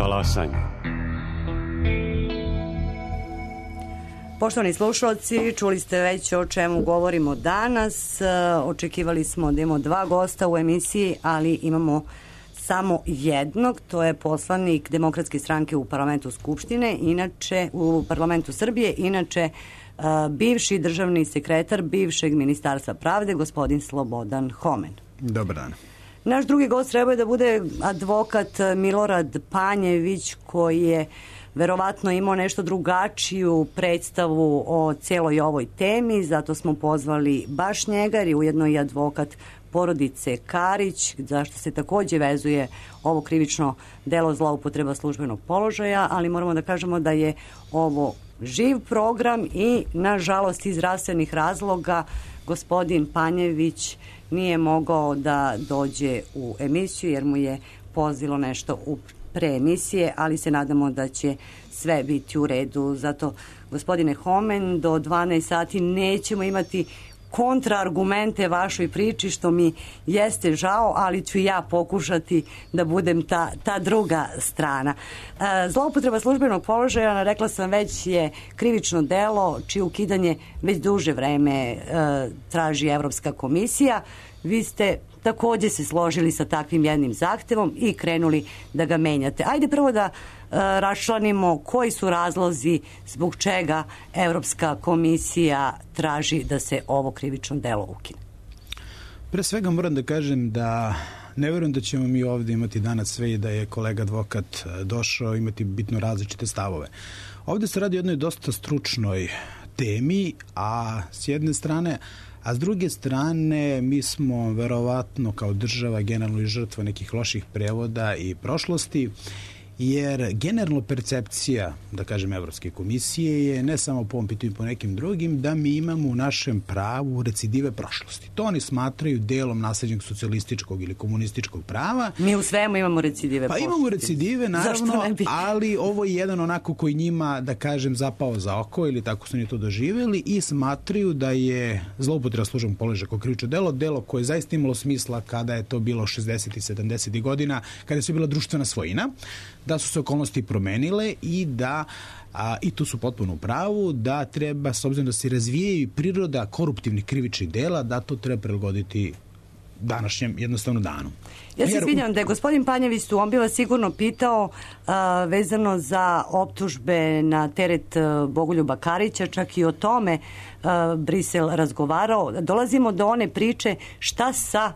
talasanja. Poštovani slušalci, čuli ste već o čemu govorimo danas. Očekivali smo da imamo 2 gosta u emisiji, ali imamo samo jednog. To je poslanik Demokratske stranke u parlamentu Skupštine, inače u parlamentu Srbije, inače bivši državni sekretar bivšeg Ministarstva pravde, gospodin Slobodan Homen. Dobar dan. Naš drugi gost treba da bude advokat Milorad Panjević, koji je verovatno imao nešto drugačiju predstavu o celoj ovoj temi, zato smo pozvali baš njega, jer je ujedno i advokat porodice Karić, zašto se takođe vezuje ovo krivično delo zloupotreba službenog položaja, ali moramo da kažemo da je ovo živ program i, nažalost, iz zdravstvenih razloga gospodin Panjević nije mogao da dođe u emisiju jer mu je pozilo nešto u preemisije, ali se nadamo da će sve biti u redu. Zato, gospodine Homen, do 12 sati nećemo imati kontraargumente vašoj priči, što mi jeste žao, ali ću ja pokušati da budem ta druga strana. Zloupotreba službenog položaja, rekla sam već, je krivično delo čije ukidanje već duže vreme traži Evropska komisija. Vi ste takođe se složili sa takvim jednim zahtevom i krenuli da ga menjate. Ajde prvo da raščlanimo koji su razlozi zbog čega Evropska komisija traži da se ovo krivično delo ukine. Pre svega moram da kažem da ne verujem da ćemo mi ovde imati danas sve i da je kolega advokat došao imati bitno različite stavove. Ovde se radi o jednoj dosta stručnoj temi, a s jedne strane, a s druge strane mi smo verovatno kao država generalno i žrtva nekih loših prevoda i prošlosti, jer generalno percepcija, da kažem, Evropske komisije je ne samo po ovom pitanju i po nekim drugim, da mi imamo u našem pravu recidive prošlosti. To oni smatraju delom nasleđenog socijalističkog ili komunističkog prava. Mi u svemu imamo recidive prošlosti. Pa imamo recidive, naravno, ali ovo je jedan onako koji njima, da kažem, zapao za oko ili tako su oni to doživjeli i smatraju da je zloupotreba službenog položaja kao krivično delo koje je zaista imalo smisla kada je to bilo 60. i 70. godina, kada je bila društvena svojina, da su se okolnosti promenile i da, i tu su potpuno u pravu, da treba, s obzirom da se razvijaju priroda koruptivnih krivičnih dela, da to treba prilagoditi današnjem jednostavno danu. Ja se izvinjam da je gospodin Panjević tu, on bi vas sigurno pitao vezano za optužbe na teret Bogoljuba Karića, čak i o tome Brisel razgovarao. Dolazimo do one priče šta sa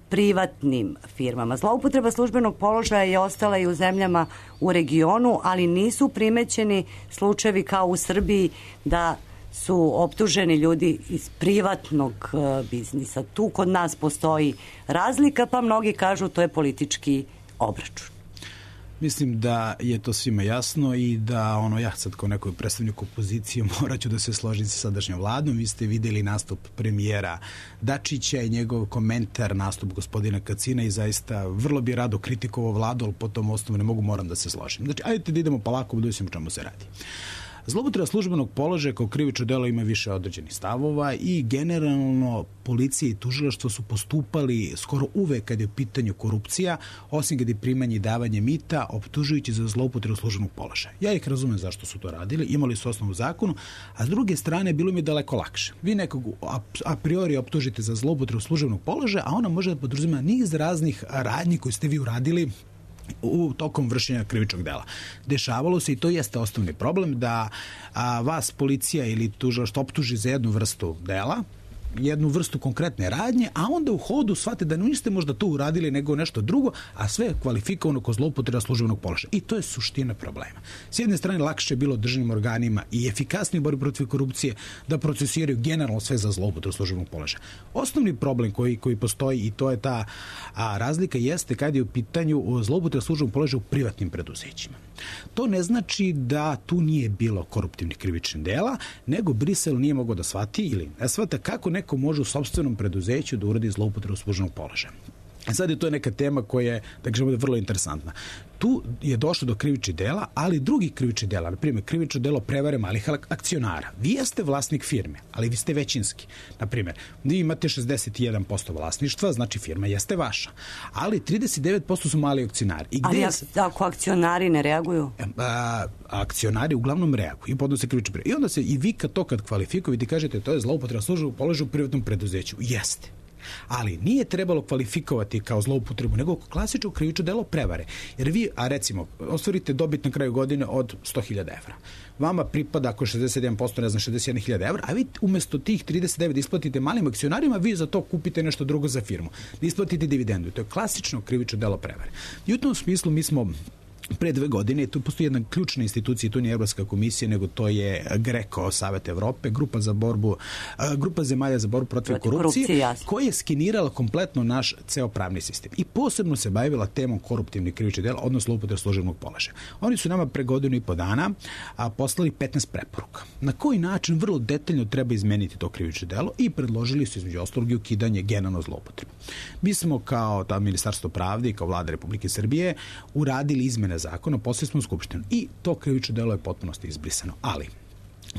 privatnim firmama. Zloupotreba službenog položaja je ostala i u zemljama u regionu, ali nisu primećeni slučajevi kao u Srbiji da su optuženi ljudi iz privatnog biznisa. Tu kod nas postoji razlika, pa mnogi kažu to je politički obračun. Mislim da je to svima jasno i da ja sad kao nekoj predstavnik opozicije morat ću da se složim sa sadašnjom vladom. Vi ste videli nastup premijera Dačića i njegov komentar, nastup gospodina Kacina i zaista vrlo bi rado kritikovao vladu, ali po tom osnovu moram da se složim. Znači, ajde da idemo polako, da vidimo o čemu se radi. Zloupotreba službenog položaja kao krivično delo ima više određenih stavova i generalno policija i tužilaštvo su postupali skoro uvek kad je u pitanju korupcija, osim kad je primanje i davanje mita, optužujući za zloupotrebu službenog položaja. Ja ih razumem zašto su to radili, imali su osnovu zakonu, a s druge strane bilo mi je daleko lakše. Vi nekog a priori optužite za zloupotrebu službenog položaja, a ona može da podrazumeva niz raznih radnji koje ste vi uradili u tokom vršenja krivičnog dela. Dešavalo se, i to jeste osnovni problem, da vas policija ili tužilaštvo optuži za jednu vrstu dela, jednu vrstu konkretne radnje, a onda u hodu shvate da niste možda to uradili nego nešto drugo, a sve je kvalifikovano kao zloupotreba službenog položaja. I to je suština problema. S jedne strane, lakše je bilo državnim organima i efikasnije u borbi protiv korupcije da procesiraju generalno sve za zloupotrebu službenog položaja. Osnovni problem koji postoji, i to je ta razlika, jeste kad je u pitanju zloupotreba službenog položaja u privatnim preduzećima. To ne znači da tu nije bilo koruptivnih krivičnih dela, nego Brisel nije mogao da shvati ili ne shvata kako neko može u sopstvenom preduzeću da uradi zloupotrebu službenog položaja. Sad je to neka tema koja je, da kažemo, vrlo interesantna. Tu je došlo do krivičnih dela, ali drugih krivičnih dela, na primjer, krivično delo prevare malih akcionara. Vi jeste vlasnik firme, ali vi ste većinski. Na primjer, vi imate 61% vlasništva, znači firma jeste vaša, ali 39% su mali akcionari. Ali ako akcionari ne reaguju? Akcionari uglavnom reaguju i podnose krivične prijave. I onda se i vi kad kvalifikujete, kažete to je zloupotreba službenog položaja u privatnom preduzeću. Jeste. Ali nije trebalo kvalifikovati kao zloupotrebu, nego klasično krivično delo prevare. Jer vi, recimo, ostvarite dobit na kraju godine od 100.000 evra. Vama pripada, ako je 61%, ne znam, 61.000 evra, a vi umjesto tih 39 isplatite malim akcionarima, vi za to kupite nešto drugo za firmu. Isplatite dividendu. To je klasično krivično delo prevare. I u tom smislu mi smo pre 2 godine, tu postoji jedna ključna institucija, to nije Evropska komisija, nego to je GRECO, Savet Evrope, grupa zemalja za borbu protiv korupcije, koja je skenirala kompletno naš ceo pravni sistem. I posebno se bavila temom koruptivnih krivičnih dela, odnosno zloupotrebe službenog položaja. Oni su nama pre 1.5 godina poslali 15 preporuka. Na koji način vrlo detaljno treba izmeniti to krivično delo i predložili su između ostalog i ukidanje generalno zloupotrebe. Mi smo kao Ministarstvo pravde i kao Vlada Republike Srbije uradili izmene zakona, poslije smo u Skupštinu i to krivično delo je potpunosti izbrisano. Ali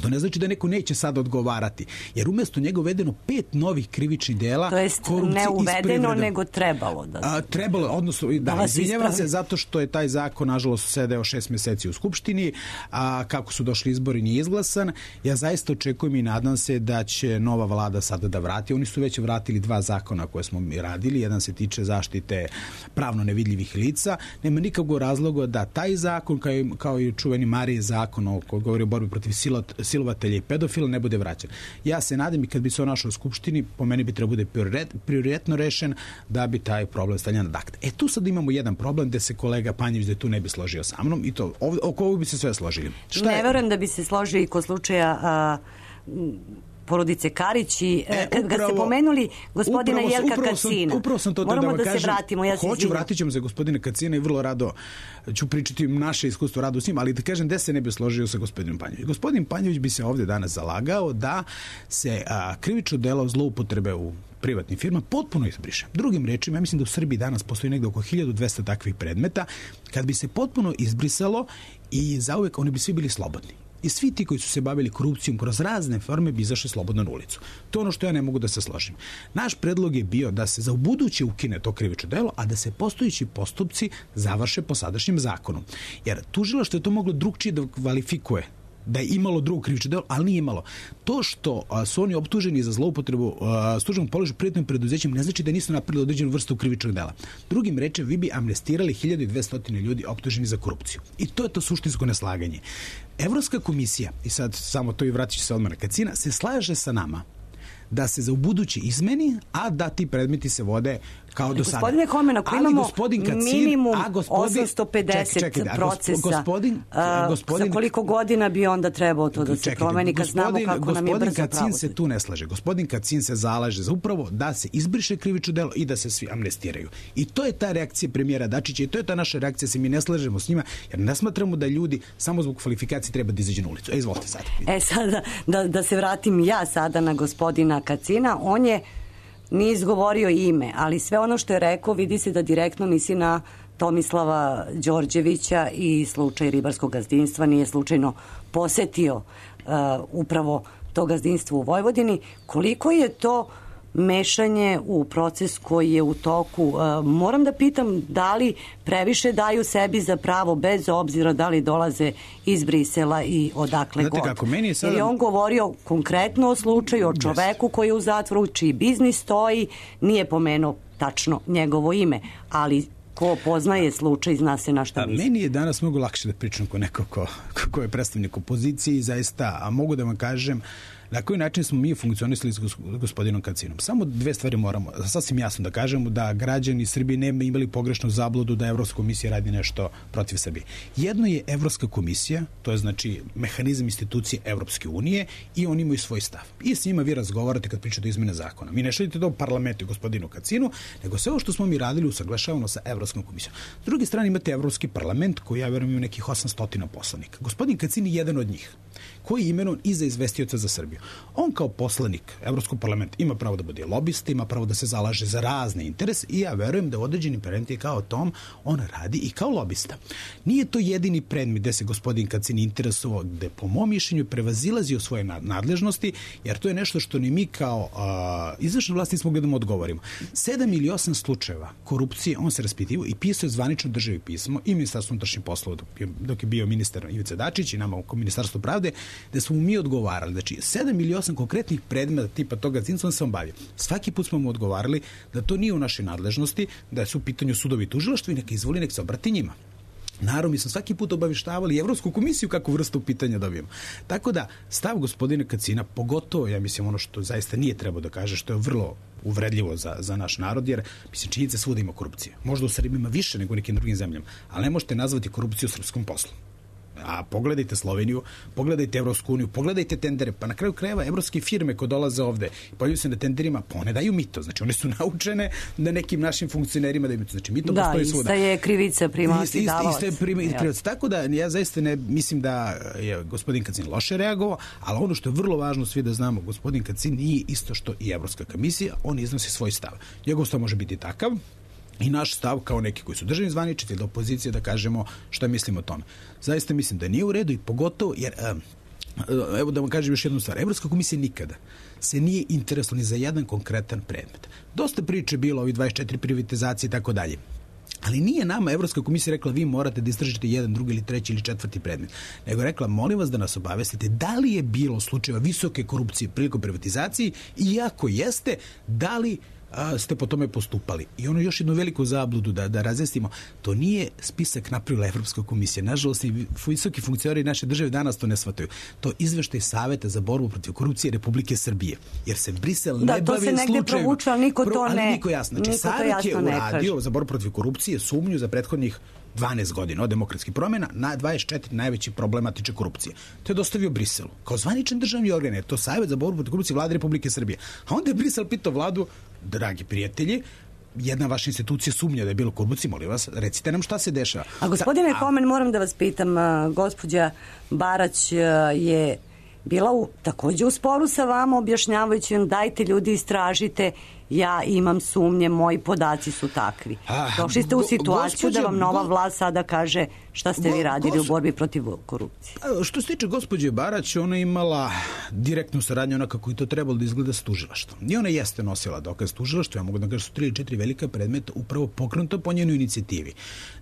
to ne znači da neko neće sad odgovarati, jer umjesto njega uvedeno 5 novih krivičnih dela. To jest ne uvedeno, nego trebalo da... Trebalo, odnosno, da, izvinjavam se, zato što je taj zakon, nažalost, sedeo 6 meseci u Skupštini, a kako su došli izbori nije izglasan. Ja zaista očekujem i nadam se da će nova vlada sada da vrati. Oni su već vratili 2 zakona koje smo mi radili. Jedan se tiče zaštite pravno nevidljivih lica. Nema nikakvog razloga da taj zakon, kao i čuveni Marije zakon koji govori o borbi protiv silovatelja i pedofila, ne bude vraćan. Ja se nadam i kad bi se on našao u Skupštini, po meni bi trebao bude prioritetno rešen da bi taj problem stavljen na akt. Tu sad imamo jedan problem gde se kolega Panjević da tu ne bi složio sa mnom i to oko ovog bi se sve složili. Ne verujem da bi se složio i kod slučaja porodice Karić i kad ste pomenuli gospodina Jelka Kacina. Moramo da se vratimo. Vratit ćemo se gospodina Kacina i vrlo rado ću pričati naše iskustvo rado s njim, ali da kažem gde se ne bi složio sa gospodinom Panjević. Gospodin Panjević bi se ovdje danas zalagao da se krivično delo zloupotrebe u privatnim firmama potpuno izbriše. Drugim rečima, ja mislim da u Srbiji danas postoji negde oko 1200 takvih predmeta. Kad bi se potpuno izbrisalo i zauvek oni bi svi bili slobodni. I svi ti koji su se bavili korupcijom kroz razne forme bi izašli slobodno na ulicu. To je ono što ja ne mogu da se složim. Naš predlog je bio da se za ubuduće ukine to krivično delo, a da se postojeći postupci završe po sadašnjem zakonu. Jer tužilaštvo je to moglo drugčije da kvalifikuje, da je imalo drugo krivično delo, ali nije imalo. To što su oni optuženi za zloupotrebu službenog položaja u privatnim preduzećima ne znači da nisu napravili određenu vrstu krivičnog dela. Drugim rečem, vi bi amnestirali 1200 ljudi optuženi za korupciju. I to je to suštinsko neslaganje. Evropska komisija, i sad samo to i vratit ću se odmah na Kacina, se slaže sa nama da se za ubuduće izmeni, a da ti predmeti se vode kao do sada. Gospodine Homen, ako imamo minimum 850 procesa, za koliko godina bi onda trebao to da se promeni kad znamo kako nam je brzo pravosuđe? Gospodin Kacin se tu ne slaže. Gospodin Kacin se zalaže za upravo da se izbriše krivično delo i da se svi amnestiraju. I to je ta reakcija premijera Dačića i to je ta naša reakcija, se mi ne slažemo s njima, jer ne smatramo da ljudi samo zbog kvalifikacije treba da izađu na ulicu. Izvolite sad. Sada, da se vratim ja sada na gospodina Kacina, on je nije izgovorio ime, ali sve ono što je rekao vidi se da direktno misli na Tomislava Đorđevića i slučaj ribarskog gazdinstva, nije slučajno posetio upravo to gazdinstvo u Vojvodini. Koliko je to mešanje u proces koji je u toku? Moram da pitam da li previše daju sebi za pravo bez obzira da li dolaze iz Brisela i odakle god. Jer je on govorio konkretno o slučaju, o čoveku koji je u zatvoru, čiji biznis stoji, nije pomenuo tačno njegovo ime, ali ko poznaje slučaj zna se na šta misli. Meni je danas mnogo lakše da pričam ko neko ko je predstavnik opozicije i zaista, a mogu da vam kažem na koji način smo mi funkcionisali s gospodinom Kacinom. Samo 2 stvari moramo sasvim jasno da kažemo, da građani Srbije ne imali pogrešnu zabludu da Evropska komisija radi nešto protiv Srbije. Jedno je Evropska komisija, to je znači mehanizam institucije Evropske unije i oni imaju svoj stav. I s njima vi razgovarate kad pričate o izmene zakona. Mi ne šaljete to u parlamentu i gospodinu Kacinu, nego sve ovo što smo mi radili usaglašavano sa Evropskom komisijom. S druge strane imate Evropski parlament koji, ja verujem, ima nekih 800 poslanika. Gospodin Kacin je jedan od njih. koji je imenovan i za izvestioca za Srbiju. On kao poslanik Evropskog parlamenta ima pravo da bude lobista, ima pravo da se zalaže za razne interese i ja verujem da u određenim predmetima kao tom on radi i kao lobista. Nije to jedini predmet gde se gospodin Kacin interesovao, gde po mom mišljenju prevazilazio svoje nadležnosti, jer to je nešto što ni mi kao izvršna vlast nismo mogli da mu odgovorimo. 7 ili 8 slučajeva korupcije on se raspitivao i pisao je zvanično državi pismo i Ministarstvo unutrašnjih poslova dok je bio ministar Ivica Dačić i nama u Ministarstvu pravde, gde smo mi odgovarali. Znači, 7 ili 8 konkretnih predmeta tipa toga on se on bavio. Svaki put smo mu odgovarali da to nije u našoj nadležnosti, da su u pitanju sudovi i tužilaštvo i neka izvoli, nek se obrati njima. Naravno, mi smo svaki put obaveštavali Evropsku komisiju kakvu vrstu pitanja dobijemo. Tako da, stav gospodina Kacina, pogotovo, ja mislim, ono što zaista nije trebao da kaže, što je vrlo uvredljivo za naš narod, jer mislim, činjenica svuda ima korupcije. Možda u Srbiji ima više nego u nekim drugim zemljama, ali ne možete nazvati korupciju srpskom poslu. A pogledajte Sloveniju, pogledajte Evropsku uniju, pogledajte tendere, pa na kraju krajeva evropske firme koje dolaze ovde i pojavljuju se na tenderima, pa one daju mito. Znači, one su naučene da nekim našim funkcionerima daju mito. Znači, mito postoji svuda. Da, ista je krivica primalac i davalac. Ista je krivica. Tako da, ja zaista ne mislim da je gospodin Kacin loše reagovao, ali ono što je vrlo važno svi da znamo, gospodin Kacin nije isto što i Evropska komisija, on iznosi svoj stav. Njegov stav može biti takav, i naš stav kao neki koji su državni zvaničnici ili opozicije da kažemo šta mislimo o tome. Zaista mislim da nije u redu i pogotovo jer, evo da vam kažem još jednu stvar, Evropska komisija nikada se nije interesovala ni za jedan konkretan predmet. Dosta priče bilo, ovi 24 privatizacije i tako dalje. Ali nije nama Evropska komisija rekla vi morate da istražite jedan, drugi ili treći ili četvrti predmet. Nego je rekla molim vas da nas obavestite da li je bilo slučajeva visoke korupcije prilikom privatizacije i ako jeste, da li ste po tome postupali. I ono još jednu veliku zabludu da razjasnimo, to nije spisak napravila Evropska komisija. Nažalost, i visoki funkcioneri naše države danas to ne shvataju. To izveštaj Saveta za borbu protiv korupcije Republike Srbije. Jer se Brisel ne bavi slučajima. Da, to se negde provuče, ali niko to ne... Ali niko jasno. Znači, Savet je uradio za borbu protiv korupcije sumnju za prethodnih 12 godina od demokratskih promjena na 24 najveći problema tiče korupcije. To je dostavio Briselu. Kao zvaničan državni organ je to Savet za borbu protiv korupcije Vlade Republike Srbije. A onda je Brisel pitao vladu, dragi prijatelji, jedna vaša institucija sumnja da je bilo korupcije, molim vas, recite nam šta se dešava. A gospodine Homen, moram da vas pitam, gospođa Barać je bila takođe u sporu sa vama, objašnjavajući vam dajte ljudi istražite, ja imam sumnje, moji podaci su takvi. Došli ste u situaciju da vam nova vlast sada kaže šta ste vi radili u borbi protiv korupcije. Što se tiče gospođe Barać, ona je imala direktnu saradnju onako kako i to trebalo da izgleda s tužilaštvom. I ona jeste nosila dokaz tužilaštva, ja mogu da kažem su 3 ili 4 velika predmeta upravo pokrenuto po njenoj inicijativi.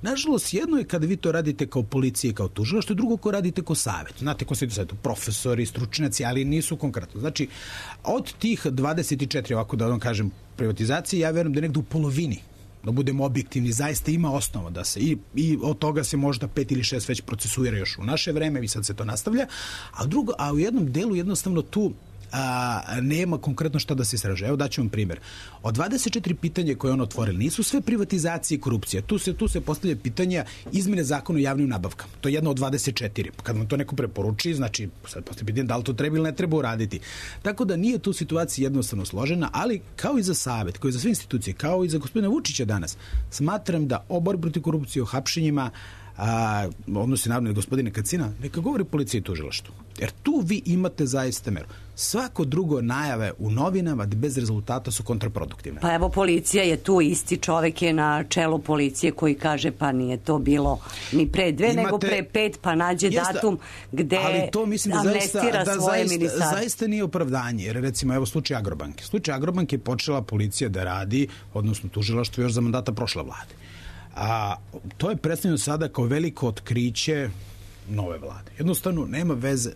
Nažalost, jedno je kada vi to radite kao policija i kao tužilaštvo, drugo ko radite kao savet. Znate ko se to savjetu, profesori, stručnjaci, ali nisu konkretno. Znači, od tih 24, ovako da vam kažem, privatizacije, ja verujem da nekdo u polovini, da budemo objektivni, zaista ima osnova da se i od toga se možda 5 ili 6 već procesuira još u naše vreme i sad se to nastavlja, a u jednom delu jednostavno tu nema konkretno šta da se istraže. Evo daću vam primjer. Od 24 pitanja koje on otvorili nisu sve privatizacije i korupcije. Tu se postavlja pitanja izmene zakona o javnim nabavkama. To je jedno od 24. Kad vam to neko preporuči, znači sad postavlja pitanje da li to treba ili ne treba uraditi. Tako da nije tu situacija jednostavno složena, ali kao i za savet, kao i za sve institucije, kao i za gospodina Vučića danas, smatram da o borbi protiv korupcije, o hapšenjima, odnosi naravno gospodine Kacina, neka govori policija i tužilaštvo. Jer tu vi imate zaista meru. Svako drugo najave u novinama bez rezultata su kontraproduktivne. Pa evo policija je tu, isti čovek je na čelu policije koji kaže pa nije to bilo ni pre 2 nego pre 5, pa nađe datum gde amnestira svoje ministarstvo. Zaista nije opravdanje, jer recimo evo slučaj Agrobanke. Slučaj Agrobanke je počela policija da radi, odnosno tužilaštvo još za mandata prošle vlade. To je predstavljeno sada kao veliko otkriće nove vlade. Jednostavno nema veze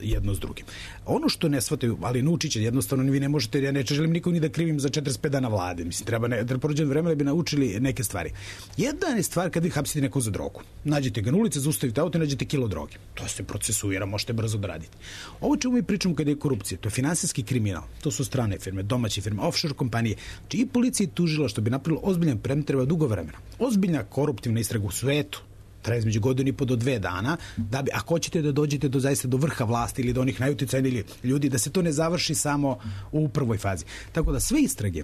jedno s drugim. Ono što ne shvataju, ali naučiće, jednostavno vi ne možete, ja ne želim nikom ni da krivim za 45 dana vlade. Mislim, treba porođeno vreme da bi naučili neke stvari. Jedna je stvar kad vi hapsite neko za drogu. Nađete ga na ulici, zaustavite auto i nađete kilo droge. To se procesuira, možete brzo da radite. Ovo čemu mi pričamo kada je korupcija, to je finansijski kriminal. To su strane firme, domaće firme, offshore kompanije. Znači i policija i tužilaštvo bi napravilo ozbiljan predmet, treba dugo vremena. Ozbiljna koruptivna istraga u svetu traje između 1,5 do 2 dana, da bi, ako hoćete da dođete do vrha vlasti ili do onih najuticajnijih ljudi, da se to ne završi samo u prvoj fazi. Tako da sve istrage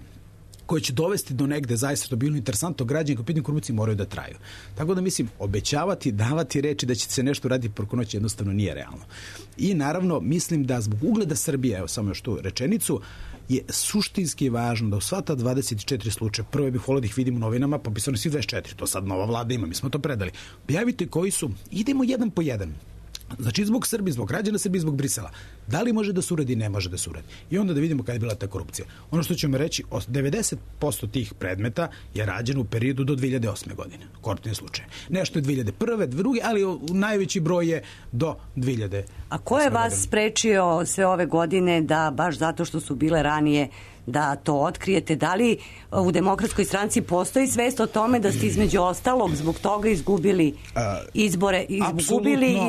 koje će dovesti do negde zaista što bilo interesantno, građani koji pitanje korupcije moraju da traju. Tako da mislim, obećavati, davati reči da će se nešto raditi preko noći jednostavno nije realno. I naravno, mislim da zbog ugleda Srbije, evo samo još tu rečenicu, je suštinski važno da u sva ta 24 slučaja, prvo bih volio da ih vidim u novinama, pa bi se oni svi 24, to sad nova vlada ima, mi smo to predali. Objavite koji su, idemo jedan po jedan. Znači, zbog Srbije, zbog građana Srbije, zbog Brisela. Da li može da se uradi, ne može da se uradi. I onda da vidimo kada je bila ta korupcija. Ono što ćemo reći, 90% tih predmeta je rađeno u periodu do 2008. godine. Koruptivni slučaj. Nešto je 2001. druge, ali najveći broj je do 2000. A ko je vas sprečio sve ove godine da baš zato što su bile ranije da to otkrijete? Da li u Demokratskoj stranci postoji svest o tome da ste između ostalog zbog toga izgubili izbore?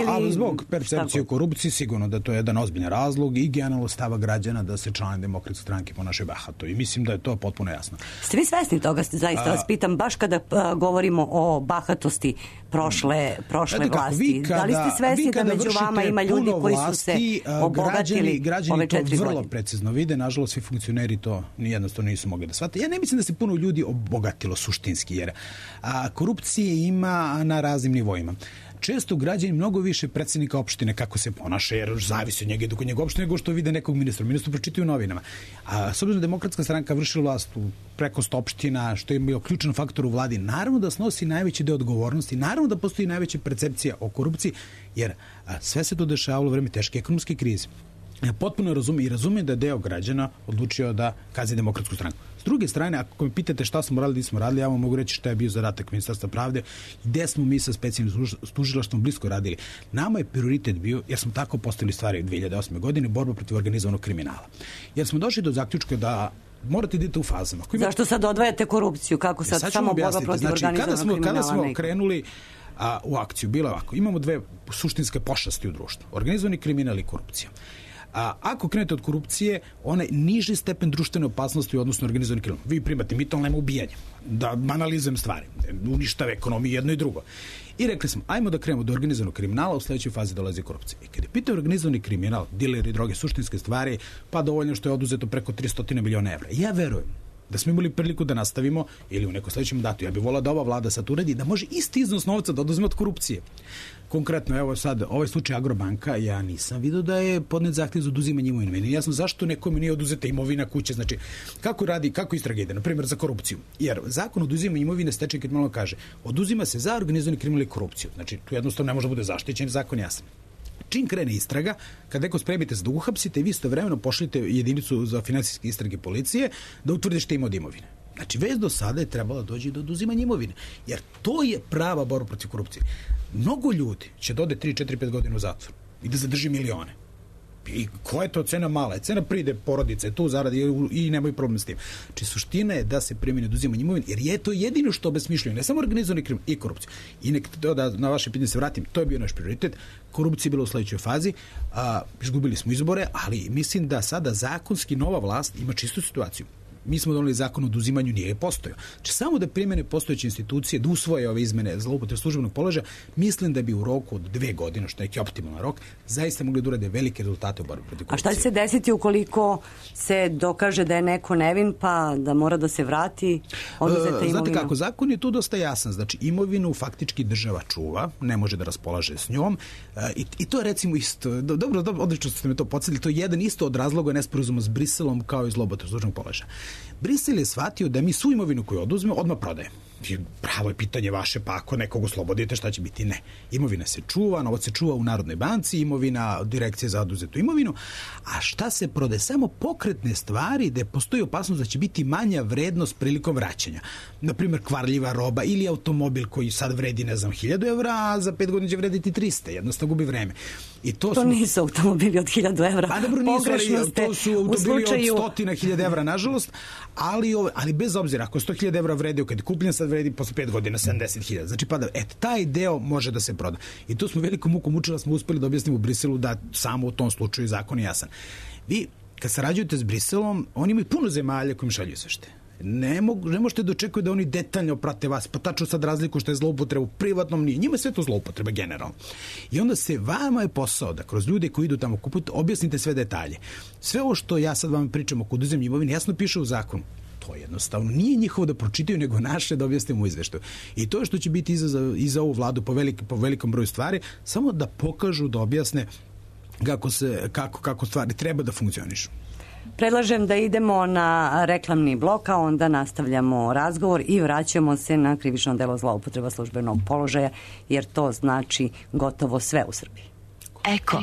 Ali zbog percepcije korupcije sigurno da to je jedan ozbiljan razlog i generalno stava građana da se članovi Demokratske stranke ponašaju bahato. I mislim da je to potpuno jasno. Ste vi svesni toga? Zaista vas pitam, baš kada govorimo o bahatosti prošle vlasti. Da li ste svesni da među vama ima ljudi koji su se obogatili ove 4 godine? Građani to vrlo precizno vide. Nažalost, svi funkcioneri to jednostavno nisu mogli da shvate. Ja ne mislim da se puno ljudi obogatilo suštinski, jer korupcije ima na raznim nivoima. Često građani mnogo više predsjednika opštine kako se ponaša, jer zavisi od njega i dok njega opštine nego što vide nekog ministra. Ministru pročitaju u novinama. A s obzirom da Demokratska stranka vršila vlast u preko 100 opština, što je bio ključan faktor u vladi, naravno da snosi najveći deo odgovornosti, naravno da postoji najveća percepcija o korupciji, jer sve se to dešavalo u vreme teške ekonomske krize. Ja potpuno razumem da je deo građana odlučio da kazni Demokratsku stranku. S druge strane, ako me pitate šta smo radili, nismo radili, ja vam mogu reći šta je bio zadatak Ministarstva pravde i gde smo mi sa specijalnim tužilaštvom blisko radili. Nama je prioritet bio, jer smo tako postavili stvari 2008. godine, borba protiv organizovanog kriminala. Jer smo došli do zaključka da morate idete u fazama. Zašto sad odvajate korupciju? Kako sad samo borba protiv organizovanog kriminala? Kada smo krenuli u akciju, bilo ovako. Imamo dve suštinske pošasti u društvu. Organizovani kriminal i korupcija. Ako krenete od korupcije, onaj niži stepen društvene opasnosti u odnosu na organizovani kriminal. Vi primate mito, ali nema ubijanja. Da banalizujem stvari. Uništave ekonomiju jedno i drugo. I rekli smo, ajmo da krenemo do organizovanog kriminala, u sledećoj fazi dolazi korupcija. I kada je pitao organizovani kriminal, dileri, droge, suštinske stvari, pa dovoljno što je oduzeto preko 300 miliona evra. Ja verujem da smo imali priliku da nastavimo ili u nekom sledećem mandatu. Ja bih volao da ova vlada sad uredi da može isti iznos novca da oduzme od korupcije. Konkretno, evo sad, ovaj slučaj Agrobanka, ja nisam vidio da je podnet zahtev za oduzimanje imovine. Meni jasno zašto nekome nije oduzeta imovina kuće. Znači, kako istraga ide, na primjer, za korupciju. Jer zakon o oduzimanju imovine stečaj kriminala kaže, oduzima se za organizovani kriminal i korupciju. Znači, tu jednostavno ne može da bude zaštićen, zakon jasan. Čim krene istraga, kad neko spremite se da uhapsite, vi istovremeno pošaljete jedinicu za finansijske istrage policije da utvrde šta ima od imovine. Znači, već do sada je trebalo doći do oduzimanja imovine. Jer to je prava borba protiv korupcije. Mnogo ljudi će da ode 3, 4, 5 godina u zatvor i da zadrži milione. I koja je to cena mala? Cena pride porodice, tu zaradi i nemaju problem s tim. Znači, suština je da se primjeni oduzimanje imovine, jer je to jedino što obesmišljuje, ne samo organizovani kriminal i korupciju. I nek da na vaše pitanje se vratim, to je bio naš prioritet. Korupcija je bila u sledećoj fazi, izgubili smo izbore, ali mislim da sada zakonski nova vlast ima čistu situaciju. Mi smo doneli zakon o oduzimanju, nije postojao. Znači, samo da primene postojeće institucije, da usvoje ove izmene zloupotrebe službenog položaja, mislim da bi u roku od 2 godine, što je neki optimalan rok, zaista mogli da urade velike rezultate u borbi protiv korupcije. A šta će se desiti ukoliko se dokaže da je neko nevin, pa da mora da se vrati oduzeta imovina? Znate kako, zakon je tu dosta jasan. Znači, imovinu faktički država čuva, ne može da raspolaže s njom. I to je recimo isto, dobro, odlično ste me to podsjetili, to je jedan isto od razloga nesporazuma s Briselom kao i zloupotrebe službenog položaja. Brisel je shvatio da mi svu imovinu koju oduzme odmah prodaje. Pravo je pitanje vaše, pa ako nekog oslobodite, šta će biti? Ne. Imovina se čuva, novac se čuva u Narodnoj banci, imovina Direkcije za oduzetu imovinu, a šta se prodaje? Samo pokretne stvari gde postoji opasnost da će biti manja vrednost prilikom vraćanja. Naprimjer, kvarljiva roba ili automobil koji sad vredi, 1000 evra, a za 5 godina će vrediti 300, jednostavno gubi vreme. I to nisu automobili od 1000 evra. Pa dobro, to su automobili od 100.000 evra, nažalost, ali bez obzira, ako 100.000 evra vredi, kad je kupljen, sad vredi posle 5 godina 70.000. Znači, taj deo može da se proda. I to smo velikom mukom učili, smo uspeli da objasnimo u Briselu da samo u tom slučaju zakon je jasan. Vi, kad sarađujete s Briselom, oni imaju puno zemalja kojim šalju izvešte. Ne možete da očekujete da oni detaljno prate vas, pa tačno sad razliku što je zloupotreba u privatnom, nije. Njima sve to zloupotreba generalno. I onda se vama je posao da kroz ljude koji idu tamo kupiti objasnite sve detalje. Sve ovo što ja sad vam pričam oko oduzimanja imovine jasno piše u zakonu. To jednostavno nije njihovo da pročitaju, nego naše da objasnimo u izveštaju. I to je što će biti i za ovu vladu po velikom broju stvari, samo da pokažu, da objasne kako stvari treba da funkcionišu. Predlažem da idemo na reklamni blok, a onda nastavljamo razgovor i vraćamo se na krivično delo zloupotreba službenog položaja, jer to znači gotovo sve u Srbiji. Eko.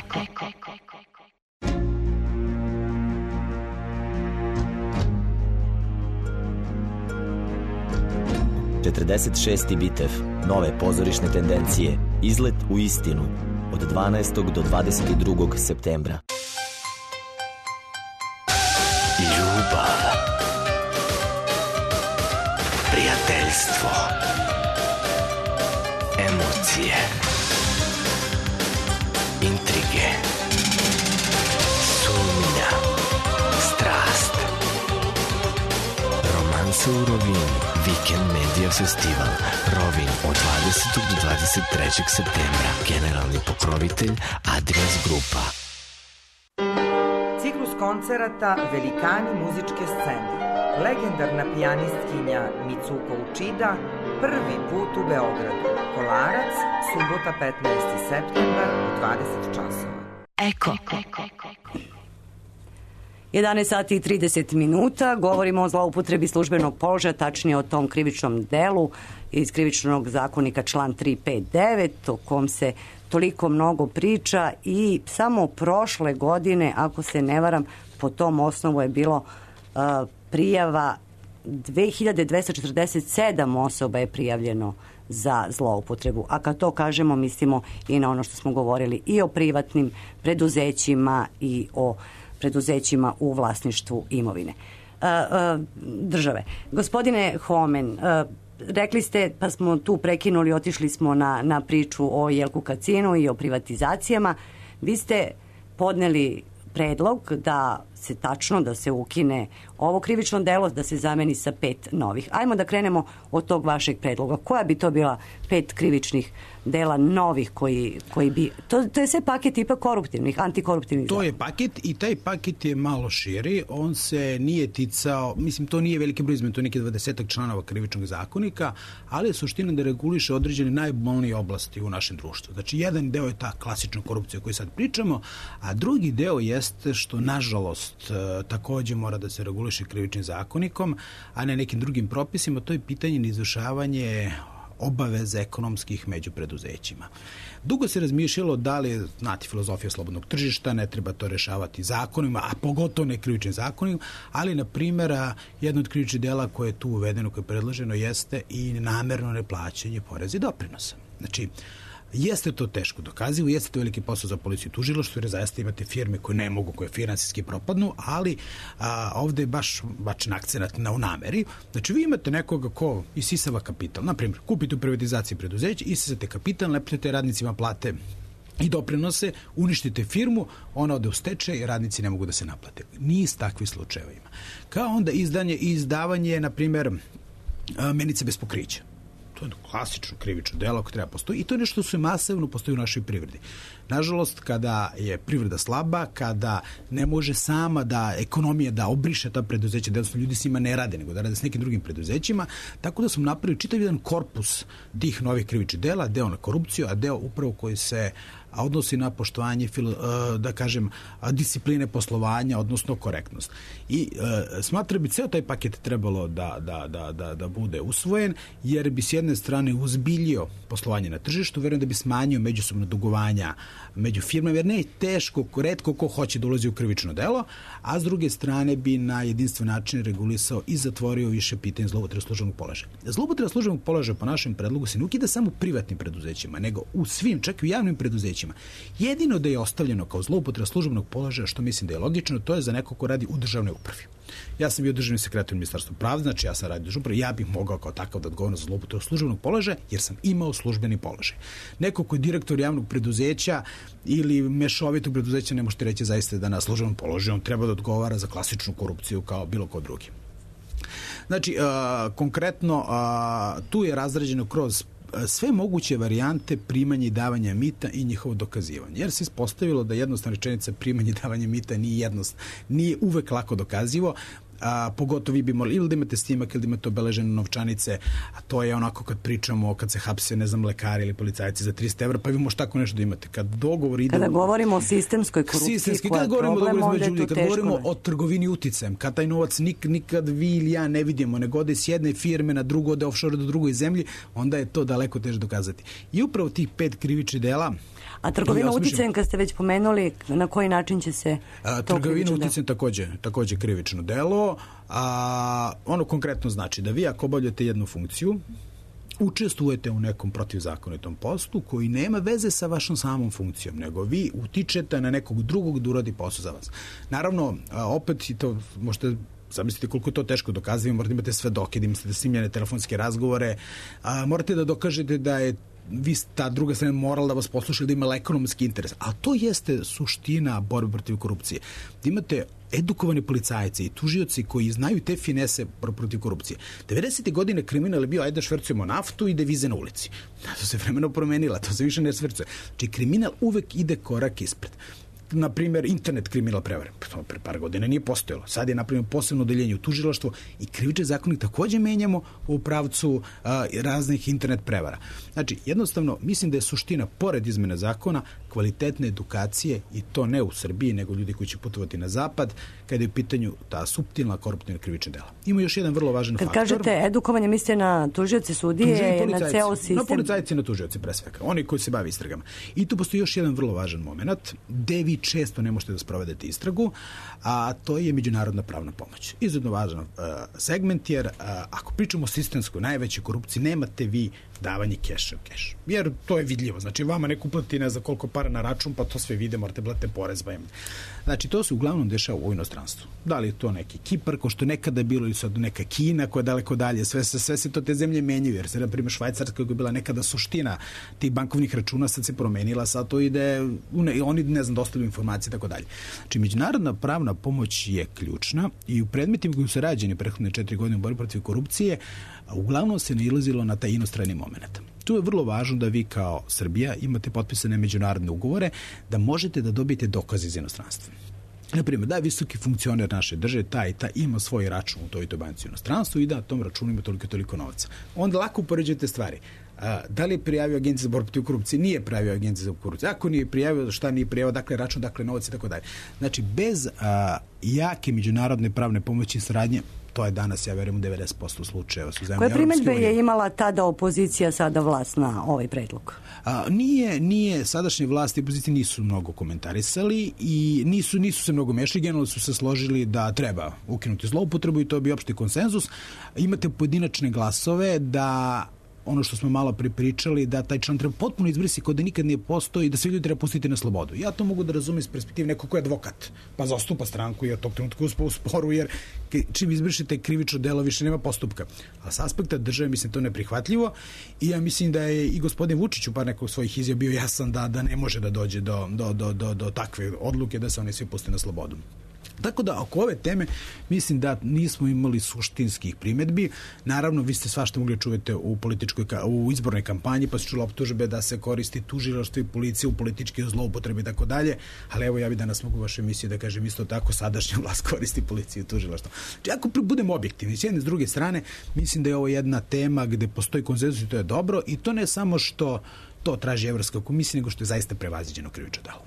46. bitev, nove pozorišne tendencije, izlet u istinu, od 12. do 22. septembra. Ljubav, prijateljstvo, emocije, intrige, sumnja, strast, romansa u Rovinu. Weekend Media Festival Rovin od 20. do 23. septembra. Generalni pokrovitelj Adrias Grupa. Ciklus koncerata Velikani muzičke scene. Legendarna pijanistkinja Mitsuko Uchida prvi put u Beogradu. Kolarac, subota 15. septembar u 20 časova. Eko. 11 sati i 30 minuta. Govorimo o zloupotrebi službenog položaja, tačnije o tom krivičnom delu iz krivičnog zakonika član 359, o kom se toliko mnogo priča i samo prošle godine, ako se ne varam, po tom osnovu je bilo prijava 2247 osoba je prijavljeno za zloupotrebu. A kad to kažemo, mislimo i na ono što smo govorili i o privatnim preduzećima i o preduzećima u vlasništvu imovine države. Gospodine Homen, rekli ste, pa smo tu prekinuli, otišli smo na priču o Jelku Kacinu i o privatizacijama. Vi ste podneli predlog da se tačno, da se ukine ovo krivično delo, da se zameni sa 5 novih. Ajmo da krenemo od tog vašeg predloga. Koja bi to bila 5 krivičnih dela novih koji bi... To je sve paket tipa koruptivnih, antikoruptivnih zakona. To je paket i taj paket je malo širi. On se nije ticao, mislim, to nije veliki broj izmena, to je neki 20 članova krivičnog zakonika, ali je suština da reguliše određene najbolnije oblasti u našem društvu. Znači, jedan deo je ta klasična korupcija o kojoj sad pričamo, a drugi deo jeste što, nažalost, takođe mora da se reguliše krivičnim zakonikom, a ne nekim drugim propisima. To je pitanje neizvršavanje obaveza ekonomskih među preduzećima. Dugo se razmišljalo da li, znate, filozofija slobodnog tržišta, ne treba to rešavati zakonima, a pogotovo ne krivičnim zakonima, ali, na primjer, jedno od krivičnih dela koje je tu uvedeno, koje je predloženo, jeste i namerno neplaćanje poreza i doprinosa. Znači, jeste to teško dokazivo, jeste to veliki posao za policiju i tužilaštvo, jer zaista imate firme koje ne mogu, koje finansijski propadnu, ali ovde je baš bačen akcenat na nameri. Znači, vi imate nekoga ko isisava kapital. Naprimjer, kupite u privatizaciji preduzeća, isisate kapital, ne platite radnicima plate i doprinose, uništite firmu, ona ode u stečaj i radnici ne mogu da se naplate. Niz takvih slučajeva ima. Kao onda izdavanje, na primjer, menice bez pokrića. To je klasično krivično delo koje treba postoji i to je nešto što se masovno postoji u našoj privredi. Nažalost, kada je privreda slaba, kada ne može sama da ekonomija da obriše ta preduzeća, da ljudi s njima ne rade, nego da rade s nekim drugim preduzećima, tako da smo napravili čitav jedan korpus tih novih krivičnih dela, deo na korupciju, a deo upravo koji se odnosi na poštovanje, da kažem, discipline poslovanja, odnosno korektnost. I smatram bi ceo taj paket trebalo da bude usvojen, jer bi s jedne strane uzbiljio poslovanje na tržištu, verujem da bi smanjio međusobno dugovanja među firmama, jer ne je teško, retko ko hoće da ulazi u krivično delo, a s druge strane bi na jedinstven način regulisao i zatvorio više pitanja zloupotrebe službenog položaja. Zloupotreba službenog položaja po našem predlogu se ne ukida samo u privatnim preduzećima, nego u svim, čak i u javnim preduzećima. Jedino da je ostavljeno kao zloupotreba službenog položaja, što mislim da je logično, to je za neko ko radi u državnoj upravi. Ja sam bio državni sekretar u Ministarstvu pravde, znači ja sam radio u državnoj upravi, ja bih mogao kao takav da odgovorim za zloupotrebu službenog položaja, jer sam imao službeni položaj. Neko ko je direktor javnog preduzeća ili mešovitog preduzeća, ne možete reći zaista da na službenom položaju on treba da odgovara za klasičnu korupciju kao bilo ko drugi. Znači, konkretno, tu je razrađeno kroz sve moguće varijante primanja i davanja mita i njihovo dokazivanje. Jer se ispostavilo da jednostavna rečenica primanja i davanja mita nije uvek lako dokazivo. pogotovo vi bi morali ili da imate snimak ili da imate obeležene novčanice, a to je onako kad pričamo, kad se hapse, ne znam, lekari ili policajci za 300 evra, pa vi možete tako nešto da imate. Kad dogovor ide... Kada govorimo o sistemskoj korupciji, koja je problem, onda je to teško. Kad govorimo o trgovini uticajem, kad taj novac nikad vi ili ja ne vidimo, nego ode s jedne firme na drugu, ode offshore do drugoj zemlji, onda je to daleko teže dokazati. I upravo tih 5 krivičnih dela... A trgovina uticajem, kad ste već pomenuli, na koji način će se to trgovina uticajem takođe krivično delo. Ono konkretno znači da vi ako obavljate jednu funkciju, učestvujete u nekom protivzakonitom poslu koji nema veze sa vašom samom funkcijom, nego vi utičete na nekog drugog da uradi posao za vas. Naravno, opet i to možete zamislite koliko je to teško dokazati, morate imate svedoke, da imate snimljene telefonske razgovore, morate da dokažete da je vi ta druga strana morala da vas posluša, da ima ekonomski interes. A to jeste suština borbe protiv korupcije. Da imate edukovane policajce i tužioci koji znaju te finese protiv korupcije. 90. godine kriminal je bio ajde švercujemo naftu i devize na ulici. To se vremeno promenila, to se više ne švercuje. Znači kriminal uvek ide korak ispred. Na primjer, internet kriminal prevare. Pre par godina nije postojalo. Sad je, na primjer, posebno odeljenje u tužilaštvu i krivični zakonik takođe menjamo u pravcu raznih internet prevara. Znači, jednostavno, mislim da je suština, pored izmene zakona, kvalitetne edukacije, i to ne u Srbiji, nego ljudi koji će putovati na zapad, kada je u pitanju ta suptilna koruptivna krivična dela. Ima još jedan vrlo važan faktor. Kad kažete edukovanje, mislite na tužioci, sudije, na ceo sistem? Na policajci i na tužioci, pre svega. Oni koji se bave istragama. I tu postoji još jedan vrlo važan moment, gde vi često ne možete da sprovedete istragu, a to je međunarodna pravna pomoć. Izuzetno važan segment, jer ako pričamo o sistemskoj najvećoj korupciji, nemate vi davanje keša u keš. Jer to je vidljivo. Znači, vama neko uplati ne za koliko para na račun, pa to sve vide, morate platiti porez. Znači, to se uglavnom dešava u inostranstvu. Da li je to neki Kipar, ko što nekada bilo, ili sad neka Kina, koja je daleko dalje, sve se to te zemlje menjaju, jer se, na primjer, Švajcarska, koja je bila nekada suština tih bankovnih računa, sad se promenila, sad to ide, oni, ne znam, dostavljaju informacije, tako dalje. Znači, međunarodna pravna pomoć je ključna i u predmetima koji su rađeni prethodne 4 godine u borbi protiv korupcije, uglavnom se nailazilo na taj inostrani moment. Tu je vrlo važno da vi kao Srbija imate potpisane međunarodne ugovore, da možete da dobijete dokaze iz inostranstva. Naprimjer, da je visoki funkcioner naše države, taj ima svoj račun u toj banci u inostranstvu i da na tom računu ima toliko novaca. Onda lako upoređujete stvari. Da li je prijavio Agenciju za borbu protiv korupcije? Nije prijavio Agenciju za korupciju. Ako nije prijavio, šta nije prijavio, dakle račun, dakle novac i tako dalje. Znači, bez jake međunarodne pravne pomoći i saradnje, to je danas, ja verujem, u 90% slučajeva. Koje primedbe je imala tada opozicija, sada vlast na ovaj predlog? Nije sadašnje vlasti i opozicije nisu mnogo komentarisali i nisu se mnogo mešali, generalno su se složili da treba ukinuti zloupotrebu i to bi opšti konsenzus. Imate pojedinačne glasove da ono što smo malo pripričali, da taj član treba potpuno izbrisati kao da nikad nije postoji i da svi ljudi treba pustiti na slobodu. Ja to mogu da razumem iz perspektive nekog ko je advokat, pa zastupa stranku i od tog trenutka u sporu, jer čim izbrišete krivično delo više nema postupka. A s aspekta države mislim to neprihvatljivo i ja mislim da je i gospodin Vučić u par nekog svojih izjava bio jasan da ne može da dođe do takve odluke da se oni svi puste na slobodu. Tako da, oko ove teme, mislim da nismo imali suštinskih primedbi. Naravno, vi ste svašta mogli čuvati u izbornoj kampanji, pa se čulo optužbe da se koristi tužilaštvo i policija u političke zloupotrebe i tako dalje, ali evo ja bi danas mogu u vašoj emisiji da kažem isto tako, sadašnja vlast koristi policiju i tužilaštvo. Znači, ako budemo objektivni, s jedne s druge strane, mislim da je ovo jedna tema gde postoji konsenzus i to je dobro i to ne samo što to traži Evropska komisija, nego što je zaista prevaziđeno krivično delo.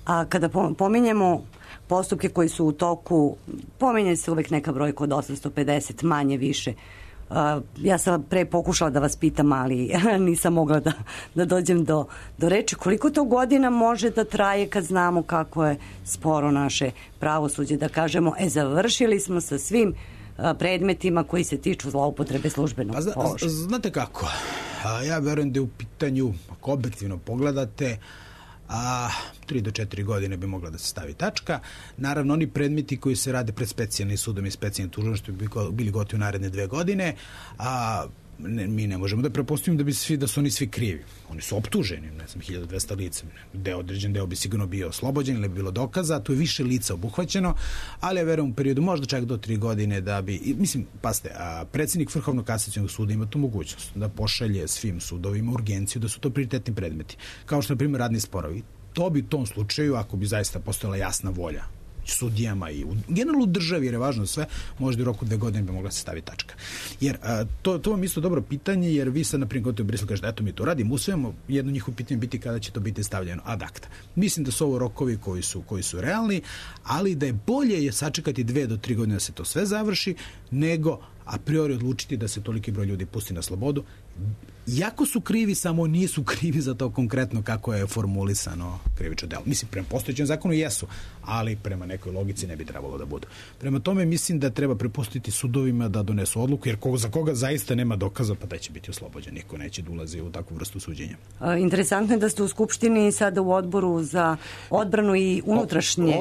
A kada pominjemo postupke koji su u toku, pominje se uvek neka brojka od 850, manje više. Ja sam pre pokušala da vas pitam, ali nisam mogla da dođem do reči. Koliko to godina može da traje kad znamo kako je sporo naše pravosuđe, da kažemo, završili smo sa svim predmetima koji se tiču zloupotrebe službenog položaja? Znate kako, ja verujem da je u pitanju, ako objektivno pogledate, 3 do 4 godine bi mogla da se stavi tačka. Naravno, oni predmeti koji se rade pred specijalnim sudom i specijalnim tužilaštvom bi bili gotovi u naredne 2 godine, mi ne možemo da prepostavimo da su oni svi krivi. Oni su optuženi, ne znam, 1200 lica. Određen deo bi sigurno bio oslobođen ili bi bilo dokaza, tu je više lica obuhvaćeno, ali ja verujem u periodu možda čak do 3 godine da bi, mislim, pasite, predsjednik Vrhovnog kasacionog suda ima tu mogućnost da pošalje svim sudovima urgenciju da su to prioritetni predmeti, kao što, na primjer, radni sporovi. To bi u tom slučaju, ako bi zaista postojala jasna volja sudijama i generalno u državi, jer je važno sve, možda u roku 2 godine bi mogla se staviti tačka. Jer to vam isto dobro pitanje, jer vi sad, na primjer, gotovo u Briselu kažete, eto mi to radimo, usvajamo, jedno njihovo pitanje biti kada će to biti stavljeno ad acta. Mislim da su ovo rokovi koji su realni, ali da je bolje sačekati 2 do 3 godine da se to sve završi, nego a priori odlučiti da se toliki broj ljudi pusti na slobodu. Jako su krivi, samo nisu krivi za to konkretno kako je formulisano krivično delo. Mislim, prema postojećem zakonu jesu, ali prema nekoj logici ne bi trebalo da budu. Prema tome mislim da treba prepustiti sudovima da donesu odluku, jer za koga zaista nema dokaza, pa taj će biti oslobođen. Niko neće da ulazi u takvu vrstu suđenja. Interesantno je da ste u Skupštini sada u odboru za odbranu i unutrašnje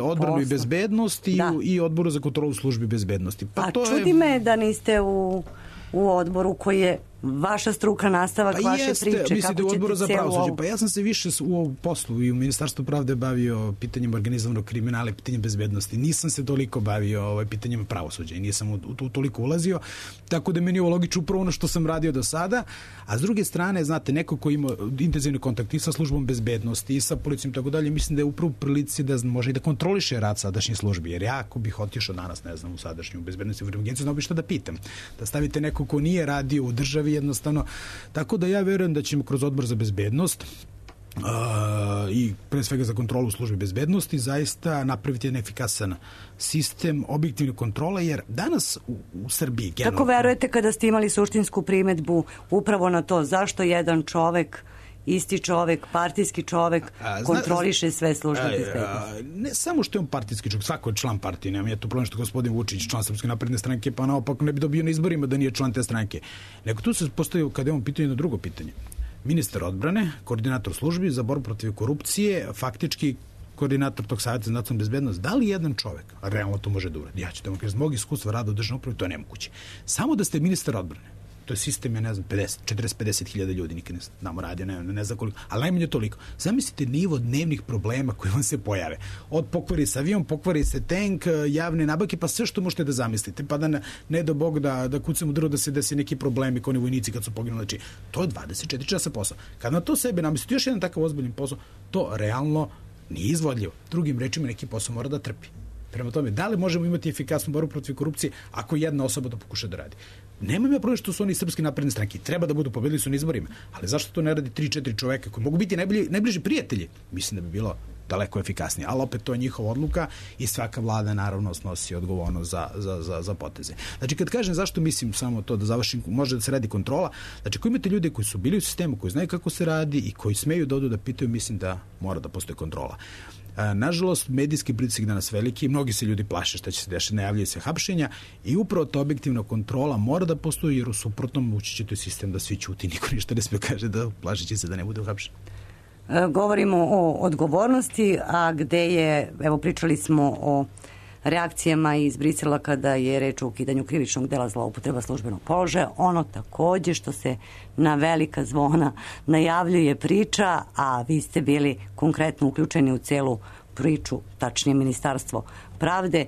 odbranu i bezbednost i odboru za kontrolu službi bezbednosti. Čudi me da niste u odboru koji je vaša struka, nastavak vaše priče. Mislite u odboru za pravosuđe. Pa ja sam se više u poslu i u Ministarstvu pravde bavio pitanjem organizovanog kriminala i pitanjem bezbednosti. Nisam se toliko bavio pitanjem pravosuđa i nisam u toliko ulazio. Tako da meni je ovo logično upravo ono što sam radio do sada. A s druge strane, znate, neko ko ima intenzivni kontakt i sa službom bezbednosti i sa policijom i tako dalje, mislim da je upravo u prilici da može i da kontroliše rad sadašnjih službi. Jer ja ako bih otišao danas, ne znam, u sadašnju bezbednosti u agenciju, znao bih šta da pitam. Da stavite neko ko nije radio u državi jednostavno. Tako da ja verujem da ćemo kroz odbor za bezbednost i pre svega za kontrolu službe bezbednosti zaista napraviti jedan efikasan sistem objektivne kontrole, jer danas u Srbiji Kako verujete kada ste imali suštinsku primedbu upravo na to zašto jedan čovek, isti čovek, partijski čovek kontroliše sve službe bezbednosti? Ne samo što je on partijski čovek, svako je član partije, nemam ja tu problem što gospodin Vučić, član Srpske napredne stranke, pa naopak ne bi dobio na izborima da nije član te stranke. Nego tu se postavio, kada je on pitanje, na drugo pitanje. Ministar odbrane, koordinator službi za borbu protiv korupcije, faktički koordinator tog savjeta za nacionalnu bezbednost, da li jedan čovek realno to može da uradi? Ja ću da vam kažem, zbog iskustva rada u državnoj upravi, to je nemoguće. Samo da ste ministar odbrane, to je sistem, ja ne znam, 40-50 hiljada ljudi, nikad ne znamo radio, ne znam koliko, ali najmanje toliko. Zamislite nivo dnevnih problema koji vam se pojave. Od pokvari se avion, pokvari se tank, javne nabavke, pa sve što možete da zamislite. Pa da ne do Bog da kucamo drvo da se desi neki problemi kao oni vojnici kad su poginuli. Znači, to je 24 časa posao. Kad na to sebe namislite još jedan takav ozbiljan posao, to realno nije izvodljivo. Drugim rečima, neki posao mora da trpi. Prema tome, da li možemo imati efikasnu borbu protiv korupcije ako jedna osoba to pokuša da radi? Nemam ja problem što su oni Srpske napredne stranke. Treba da budu pobedili su na izborima. Ali zašto to ne radi 3-4 čoveka koji mogu biti najbliži prijatelji? Mislim da bi bilo daleko efikasnije. Ali opet to je njihova odluka i svaka vlada naravno snosi odgovornost za poteze. Znači kad kažem zašto mislim samo to da završim, može da se radi kontrola. Znači ako imate ljude koji su bili u sistemu, koji znaju kako se radi i koji smeju da odu da pitaju, mislim da mora da postoji kontrola. Nažalost, medijski pritisak danas veliki, mnogi se ljudi plaše šta će se dešati, najavljaju se hapšenja i upravo ta objektivna kontrola mora da postoji, jer u suprotnom ući će to sistem da svi ćuti, niko ništa ne smije kaže da plašeći se da ne bude uhapšen. Govorimo o odgovornosti, a gde je, evo pričali smo o reakcijama iz Brisela kada je reč o ukidanju krivičnog dela zloupotreba službenog položaja. Ono takođe što se na velika zvona najavljuje priča, a vi ste bili konkretno uključeni u celu priču, tačnije Ministarstvo pravde,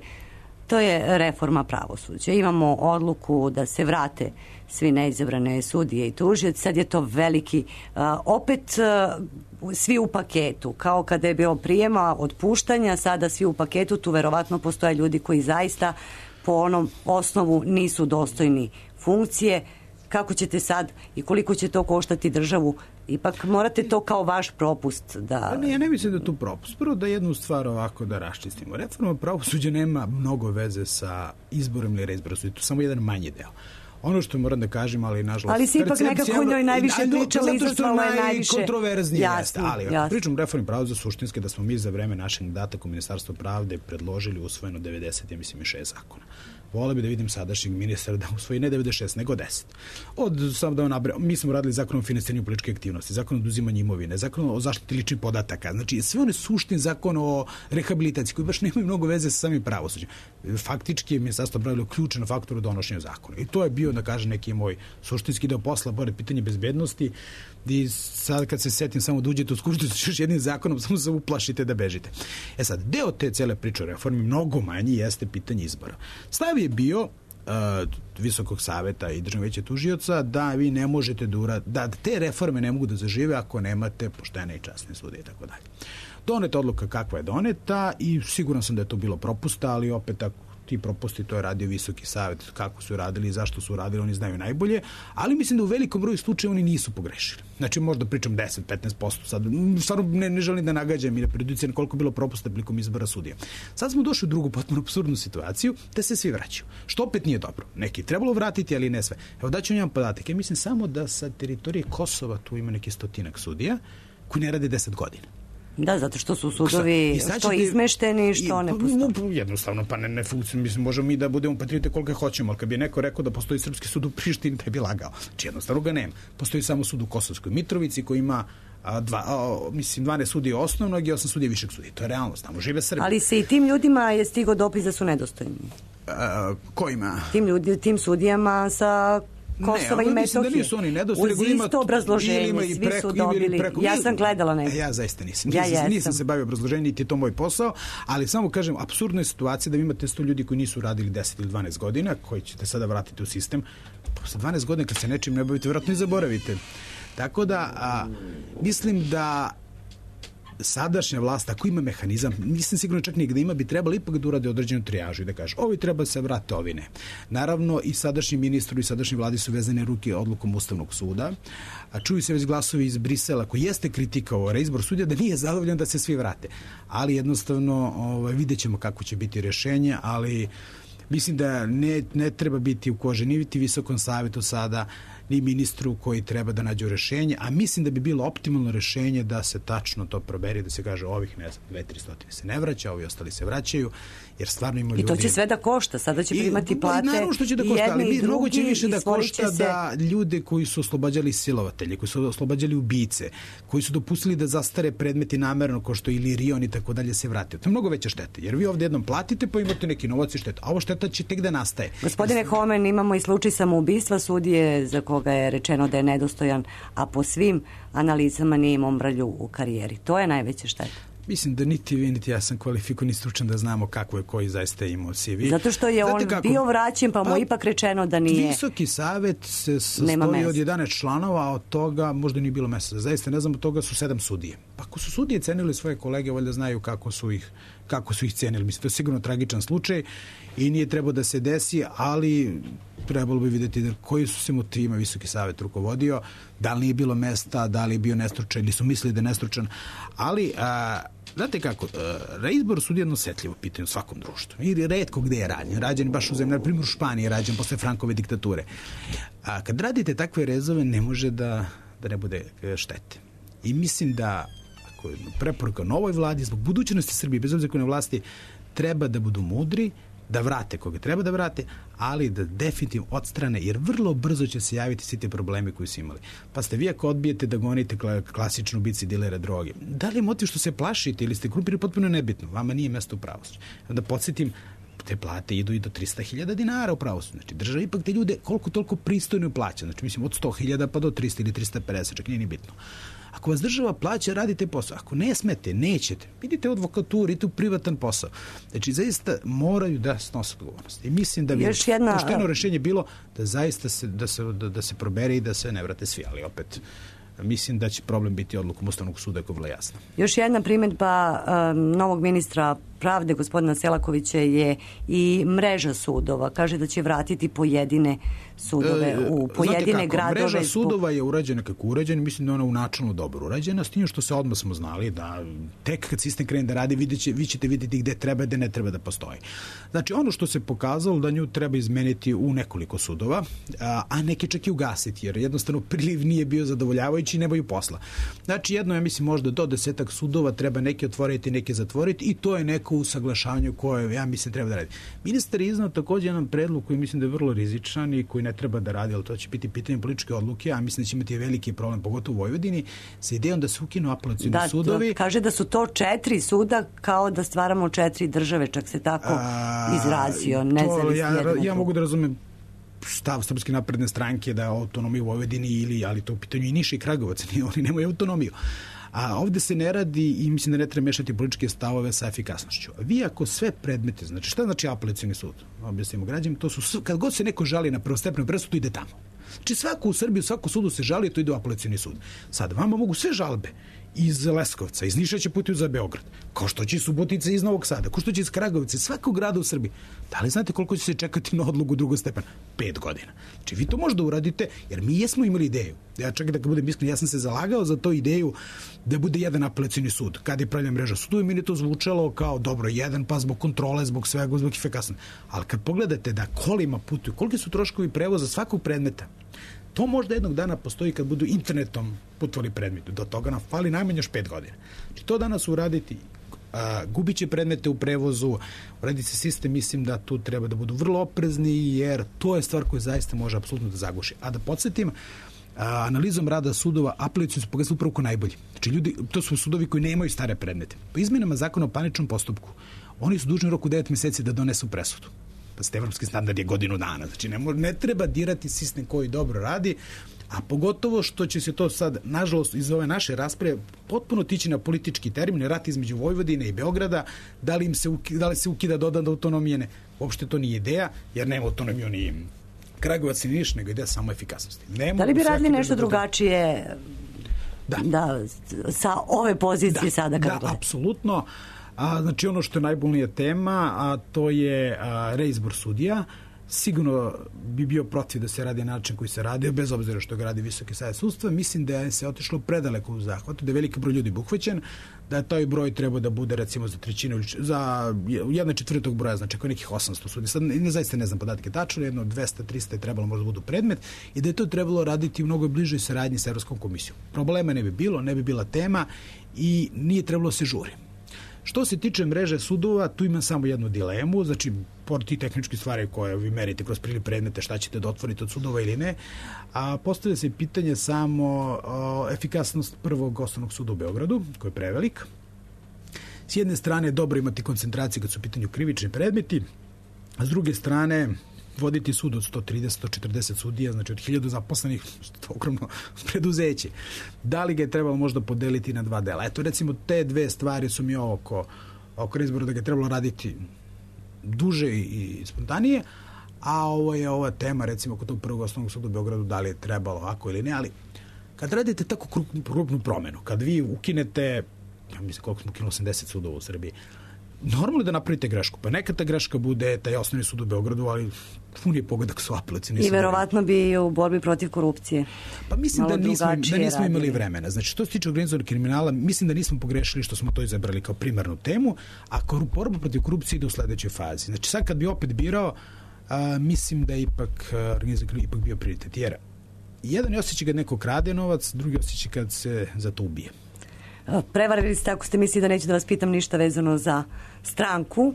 to je reforma pravosuđa. Imamo odluku da se vrate svi neizabrane sudije i tužioci. Sad je to veliki, opet svi u paketu, kao kada je bilo prijema, otpuštanja, sada svi u paketu, tu verovatno postoje ljudi koji zaista po onom osnovu nisu dostojni funkcije. Kako ćete sad i koliko će to koštati državu? Ipak morate to kao vaš propust da... Ne, ja ne mislim da je to propust. Prvo da jednu stvar ovako da raščistimo. Reforma pravosuđa nema mnogo veze sa izborom ili reizborom. To je samo jedan manji deo. Ono što moram da kažem, ali nažalost... Ali si ipak nekako njoj najviše pričali, izazvalo je najviše... Zato što je najkontroverznije jeste. Ali pričam reformi pravosuđa suštinske da smo mi za vreme našeg mandata u Ministarstvu pravde predložili usvojeno 96 zakona. Voleo bi da vidim sadašnjeg ministra da usvoji ne 96, nego 10. Mi smo radili zakon o finansiranju političke aktivnosti, zakon o oduzimanju imovine, zakon o zaštiti ličnih podataka, znači sve one suštin zakon o rehabilitaciji koji baš nemaju mnogo veze sa samim pravosuđem. Faktički je Ministarstvo pravilo ključan faktor u donošenju zakona. I to je bio, da kažem, neki moj suštinski deo posla, pored pitanje bezbednosti, i sad kad se setim samo da uđete u Skupštinu sa još jednim zakonom, samo se uplašite da bežite. Sad, deo te cele priče o reformi mnogo manji jeste pitanje izbora. Stav je bio Visokog saveta i Državnog veća tužioca da vi ne možete da te reforme ne mogu da zažive ako nemate poštene i časne sudije i tako dalje. Doneta odluka kakva je doneta i siguran sam da je to bilo propusta, ali opet ako ti propusti, to je radio Visoki savet, kako su radili i zašto su radili, oni znaju najbolje, ali mislim da u velikom broju slučaja oni nisu pogrešili. Znači možda pričam 10-15%, sad stvarno ne želim da nagađam i da preduciram koliko je bilo propusta prilikom izbora sudija. Sad smo došli u drugu potpuno apsurdnu situaciju da se svi vraćaju, što opet nije dobro. Neki trebalo vratiti, ali ne sve. Evo daću vam podatak, ja mislim samo da sa teritorije Kosova tu ima neki 100 sudija koji ne rade 10 godina. Da, zato što su sudovi što izmešteni, što ne postoji. Jednostavno, pa ne funkcionuje. Mislim, možemo mi da budemo patriote koliko hoćemo, ali kad bi neko rekao da postoji srpski sud u Prištini, taj bi lagao. Znači, jednostavno ga nema. Postoji samo sud u Kosovskoj Mitrovici koji ima 12 sudija osnovnog i 8 sudija višeg sudija. To je realnost, tamo žive Srbi. Ali se i tim ljudima je stigao dopis da su nedostojni. Kojima? Tim sudijama sa Kosova i Metohije. Da nisu oni nedostojni. Uz isto obrazloženje, svi su dobili. Ja sam gledala neko. Ja zaista nisam. Nisam se bavio obrazloženjem, niti je to moj posao, ali samo kažem, apsurdna je situacija da vi imate 100 ljudi koji nisu radili 10 ili 12 godina, koji ćete sada vratiti u sistem. Posle 12 godina, kad se nečim ne bavite, vjerojatno i zaboravite. Tako da, mislim da sadašnja vlast, ako ima mehanizam, nisam sigurno čak nigde ima, bi trebalo ipak da urade određenu trijažu i da kaže, ovi treba se vrate, ovi ne. Naravno, i sadašnji ministru i sadašnji vladi su vezane ruke odlukom Ustavnog suda, a čuju se već glasovi iz Brisela koji jeste kritikovao reizbor sudija da nije zadovoljan da se svi vrate. Ali jednostavno vidjet ćemo kako će biti rješenje, ali mislim da ne treba biti u koži ni Visokom savetu sada, ni ministru koji treba da nađe rešenje, a mislim da bi bilo optimalno rešenje da se tačno to proberi, da se kaže ovih, ne znam, 200-300 se ne vraća, ovi ostali se vraćaju, jer stvarno ima ljudi. I to će sve da košta, sada će primati plate. Naravno što će da košta, ali mnogo će više da košta da ljude koji su oslobađali silovatelje, koji su oslobađali ubice, koji su dopustili da zastare predmeti namerno, kao što ili Rion i tako dalje, se vrate. To je mnogo veća šteta, jer vi ovdje jednom platite pa imate neki novac i šteta, a ovo šteta će tek da nastaje. Gospodine Homen, imamo i slučaj samoubistva sudije za koga je rečeno da je nedostojan, a po svim analizama nije imao mrlju u karijeri. To je najveća šteta. Mislim da niti vi, niti ja sam kvalifikovan i stručan da znamo kako je koji zaista imao CV. Zato što je on bio vraćen, pa mu ipak rečeno da nije. Visoki savet se sastoji od 11 članova, a od toga možda nije bilo mesta. Zaista ne znam, od toga su 7 sudije. Pa ako su sudije cenili svoje kolege, valjda znaju kako su ih cenili. Mislim, to je sigurno tragičan slučaj i nije trebao da se desi, ali trebalo bi vidjeti koji su se motivima Visoki savet rukovodio, da li nije bilo mesta, da li je bio nestručan ili su mislili da je nestručan, ali znate kako, reizbor sudija je jedno osetljivo pitanje u svakom društvu i retko gde je rađen. Rađen baš u zemlji, na primjer u Španiji je rađen posle Frankove diktature. A kad radite takve rezove, ne može da ne bude štete. I mislim da ako je preporuka novoj vladi, zbog budućnosti Srbije, bez obzira koje na vlasti, treba da budu mudri, da vrate koga treba da vrate, ali da definitivno odstrane, jer vrlo brzo će se javiti svi te problemi koji su imali. Pa ste vi ako odbijete da gonite klasičnu ubici dilera droge, da li je motiv što se plašite ili ste grupiri, potpuno nebitno, vama nije mesto u pravosuđu. Da podsjetim, te plate idu i do 300.000 dinara u pravosuđu. Znači, država ipak te ljude koliko toliko pristojno plaća. Znači, mislim, od 100.000 pa do 300 ili 350, čak nije ni bitno. Ako vas država plaća, radite posao. Ako ne smete, nećete. Idite u advokaturu, idite u privatan posao. Znači, zaista moraju da snose odgovornost. I mislim da bi pošteno rešenje bilo da zaista da se probere i da se ne vrate svi. Ali opet, mislim da će problem biti odlukom Ustavnog suda, ako je vrlo jasno. Još jedna primjedba novog ministra pravde, gospodina Selakovića, je i mreža sudova. Kaže da će vratiti pojedine sudove u pojedine gradove. Mreža sudova je urađena kako urađena, mislim da je ona u načalno dobro urađena, s tim što se odmah smo znali da tek kad sistem krene da radi, vi ćete vidjeti gde treba, gde ne treba da postoji. Znači, ono što se pokazalo da nju treba izmeniti u nekoliko sudova, a neke čak i ugasiti, jer jednostavno priliv nije bio zadovoljavajući i nemaju posla. Znači, jedno, ja mislim, možda do 10 sudova treba neke otvoriti, neke zatvoriti i to je neko usaglašavanje koje, ja mislim, treba da radi. Ministar je iznao također jedan predlog koji mislim da je vrlo rizičan i koji ne treba da radi, ali to će biti pitanje političke odluke, a mislim da će imati veliki problem, pogotovo u Vojvodini, sa idejom da se ukinu apelacioni sudovi. Kaže da su to 4 suda, kao da stvaramo 4 države, čak se tako izrazio. Ja mogu da razumem stav Srpske napredne stranke da autonomiju u Vojvodini ali to u pitanju i Niš i Kragujevac, oni nemaju autonomiju. A ovde se ne radi i mislim da ne treba mešati političke stavove sa efikasnošću. Vi ako sve predmete, znači šta znači apelacioni sud? Objasnimo građanima, to su, kad god se neko žali na prvostepenu presudu, ide tamo. Znači svako u Srbiji, u svakom sudu se žali, to ide u apelacioni sud. Sad, vama mogu sve žalbe iz Leskovca, iz Niša će putuju za Beograd, kao što će iz Subotice iz Novog Sada, kao što će iz Kragovice, svakog grada u Srbiji. Da li znate koliko će se čekati na odluku drugog stepena? 5 godina. Znači vi to možda uradite, jer mi jesmo imali ideju. Ja čekaj da budem iskren, ja sam se zalagao za to ideju da bude jedan apelacioni sud. Kad je pravljena mreža sudova, meni je to zvučalo kao dobro, jedan, pa zbog kontrole, zbog svega, zbog efikasnosti. Ali kad pogledate da kolima putuju, koliki su troškovi prevoza svakog predmeta, to možda jednog dana postoji kad budu internetom putovali predmeti. Do toga nam fali najmanje još 5 godina. Znači to danas uraditi, gubit će predmete u prevozu, uraditi se sistem, mislim da tu treba da budu vrlo oprezni, jer to je stvar koja zaista može apsolutno da zaguši. A da podsjetim, analizom rada sudova apelacioni su pokazali upravo ko najbolji. Znači ljudi, to su sudovi koji nemaju stare predmete. Po izmenama zakona o parničnom postupku, oni su dužni u roku 9 meseci da donesu presudu. Pa evropski standard je godinu dana. Znači ne treba dirati sistem koji dobro radi, a pogotovo što će se to sad, nažalost, iz ove naše rasprave potpuno tići na politički termin, rat između Vojvodine i Beograda, da li se ukida dodatna autonomija, ne. Uopšte to nije ideja, jer nema autonomiju ni Kragujevac ni Niš, nego ideja samo efikasnosti. Da li bi radili nešto drugačije sa ove pozicije sada? Da, apsolutno. Znači ono što je najbolnija tema, a to je reizbor sudija. Sigurno bi bio protiv da se radi na način koji se radi, bez obzira što ga radi Visoki savet sudstva. Mislim da je se otišlo predaleko u zahvatu, da je veliki broj ljudi buhvaćen, da je taj broj treba da bude recimo za 1/3, za 1/4 broja, znači ako je nekih 800 sudija. Sad zaista ne znam podatke tačno, jedno 200-300 je trebalo možda budu predmet i da je to trebalo raditi u mnogo bližoj saradnji sa Evropskom komisijom. Problema ne bi bilo, ne bi bila tema i nije trebalo se žuri. Što se tiče mreže sudova, tu imam samo jednu dilemu, znači pored tih tehničkih stvari koje vi merite kroz priliv predmete, šta ćete da otvorite od sudova ili ne, a postavlja se pitanje samo efikasnost prvog osnovnog suda u Beogradu, koji je prevelik. S jedne strane dobro imati koncentraciju kad su u pitanju krivični predmeti, a s druge strane voditi sud od 130-140 sudija, znači od 1000 zaposlenih, to ogromno preduzeće. Da li ga je trebalo možda podeliti na 2 dela? Eto, recimo, te 2 stvari su mi oko reizbora da ga je trebalo raditi duže i spontanije, a ovo je ova tema, recimo, kod tog prvog osnovnog suda u Beogradu, da li je trebalo ovako ili ne, ali kad radite tako krupnu promenu, kad vi ukinete, ja mislim koliko smo ukinuli, 80 sudova u Srbiji, normalno da napravite grešku, pa neka ta greška bude taj osnovni sud u Beogradu, ali pun je pogodak su apelacioni. I verovatno bi u borbi protiv korupcije. Pa mislim da nismo imali vremena. Znači, što se tiče organizovanog kriminala, mislim da nismo pogrešili što smo to izabrali kao primarnu temu, a borba protiv korupcije ide u sledećoj fazi. Znači, sad kad bi opet birao, mislim da je ipak bio prioritet. Jer jedan je osjećaj kad neko krade novac, drugi osjećaj kad se za to ubije. Prevarili ste ako ste mislili da neću da vas pitam ništa vezano za stranku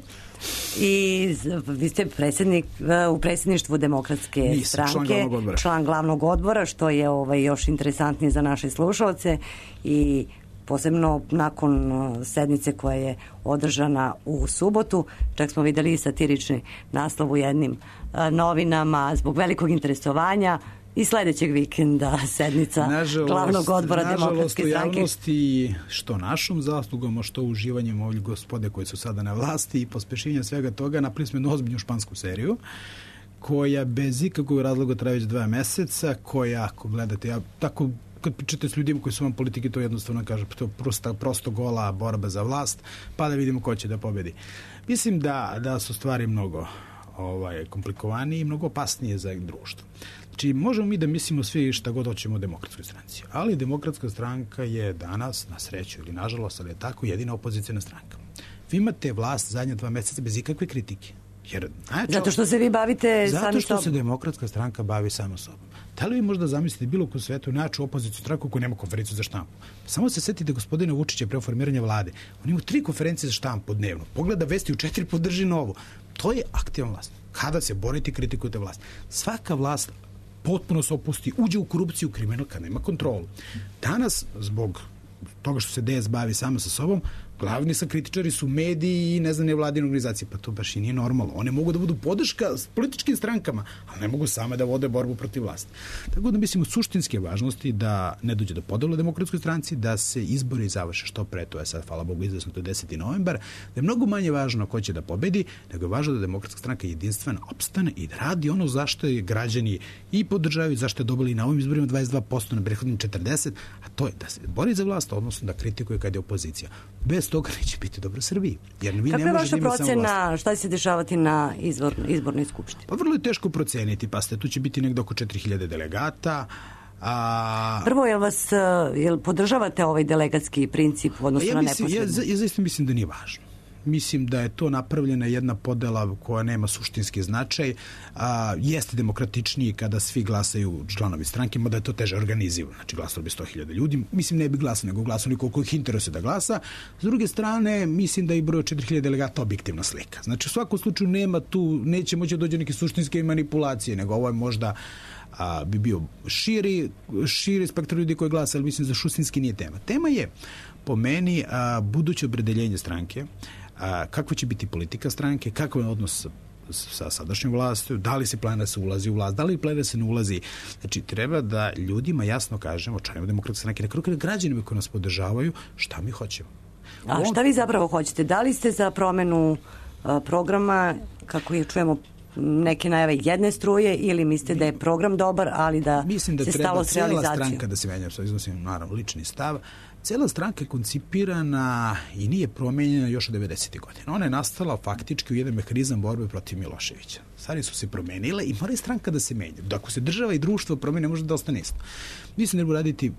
i vi ste predsjednik u predsjedništvu Demokratske stranke, član glavnog odbora, što je još interesantnije za naše slušalce i posebno nakon sednice koja je održana u subotu. Čak smo videli i satirični naslov u jednim novinama zbog velikog interesovanja i sledećeg vikenda sednica glavnog odbora Demokratske stranke. Nažalost, u javnosti, što našom zaslugom, a što uživanjem ovih gospode koji su sada na vlasti i pospešenja svega toga, napravili smo jednu ozbiljnu špansku seriju, koja bez ikakvog razloga traje već 2 meseca, koja, ako gledate, ja tako kad pričate s ljudima koji su vam politike, to jednostavno kaže, to je prosto gola borba za vlast, pa da vidimo ko će da pobedi. Mislim da su stvari mnogo komplikovanije i mnogo opasnije za društvo. Znači, možemo mi da mislimo svi šta god hoćemo o Demokratskoj stranci, ali Demokratska stranka je danas, na sreću ili nažalost, ali je tako, jedina opozicijna stranka. Vi imate vlast zadnja 2 meseca bez ikakve kritike. Zato što se vi bavite sami sobom. Zato što se Demokratska stranka bavi samo sobom. Da li vi možda zamislite bilo ko svetu najjaču opoziciju stranku koja nema konferenciju za štampu? Samo se setite gospodina Vučića pre formiranja vlade. On ima 3 konferencije za štampu dnevno. Pogleda vesti u 4, podrži novu. To je aktivan vlast. Kada se borite, kritikujete vlast. Svaka vlast potpuno se opusti, uđe u korupciju, kriminal kad nema kontrolu. Danas, zbog toga što se DS bavi samo sa sobom, Glavni kritičari su mediji i nevladine organizacije. Pa to baš i nije normalno. One mogu da budu podrška s političkim strankama, ali ne mogu same da vode borbu protiv vlasti. Tako da mislim, od suštinske važnosti da ne dođe do podela demokratskoj stranci, da se izbori završe što pre, to je sad, hvala Bogu, izvesno, to je 10. novembar, da je mnogo manje važno ko će da pobedi, nego je važno da demokratska stranka jedinstveno opstane i da radi ono zašto je građani i podržavaju, zašto je dobili na ovim izborima 22%, na prethodnim 40%, a to je da se bori za vlast, odnosno da kritikuje kad je opozicija. Bez toga neće biti dobro Srbiji. Jer vi kakva je vaša procena, šta će se dešavati na izbornoj skupštini? Pa vrlo je teško proceniti, pa tu će biti negdje oko 4000 delegata. Prvo, jel podržavate ovaj delegatski princip u odnosu na neposredno? Ja zaista mislim da nije važno. Mislim da je to napravljena jedna podela koja nema suštinski značaj. Jeste demokratičniji kada svi glasaju članovi stranke, mada je to teže organizivano. Znači, glasalo bi 100.000 ljudi. Mislim, ne bi glasao, nego glasao koliko ih interesuje da glasa. S druge strane, mislim da je broj 4000 delegata objektivna slika. Znači, u svakom slučaju nema tu, neće moći dođe neke suštinske manipulacije, nego ovo je možda bi bio širi spektar ljudi koji glasa, ali mislim da suštinski nije tema. Tema je, po meni, buduće opredeljenje stranke, kakva će biti politika stranke, kakav je odnos sa sadašnjom vlastom, da li se planira se ulazi u vlast, da li planira se ne ulazi. Znači, treba da ljudima jasno kažemo, članima demokratske stranke, na kraju građanima koji nas podržavaju, šta mi hoćemo. A šta vi zapravo hoćete? Da li ste za promenu programa, kako je čujemo neke najave jedne struje, ili mislite da je program dobar, ali da se stalo s realizacijom? Mislim da treba cijela stranka da se menja, što iznosim naravno lični stav. Cijela stranka je koncipirana i nije promenjena još od 90. godina. Ona je nastala faktički u jedan mehanizam borbe protiv Miloševića. Stvari su se promenile i mora i stranka da se menja. Ako se država i društvo promene, može da ostane isto. Mislim da treba raditi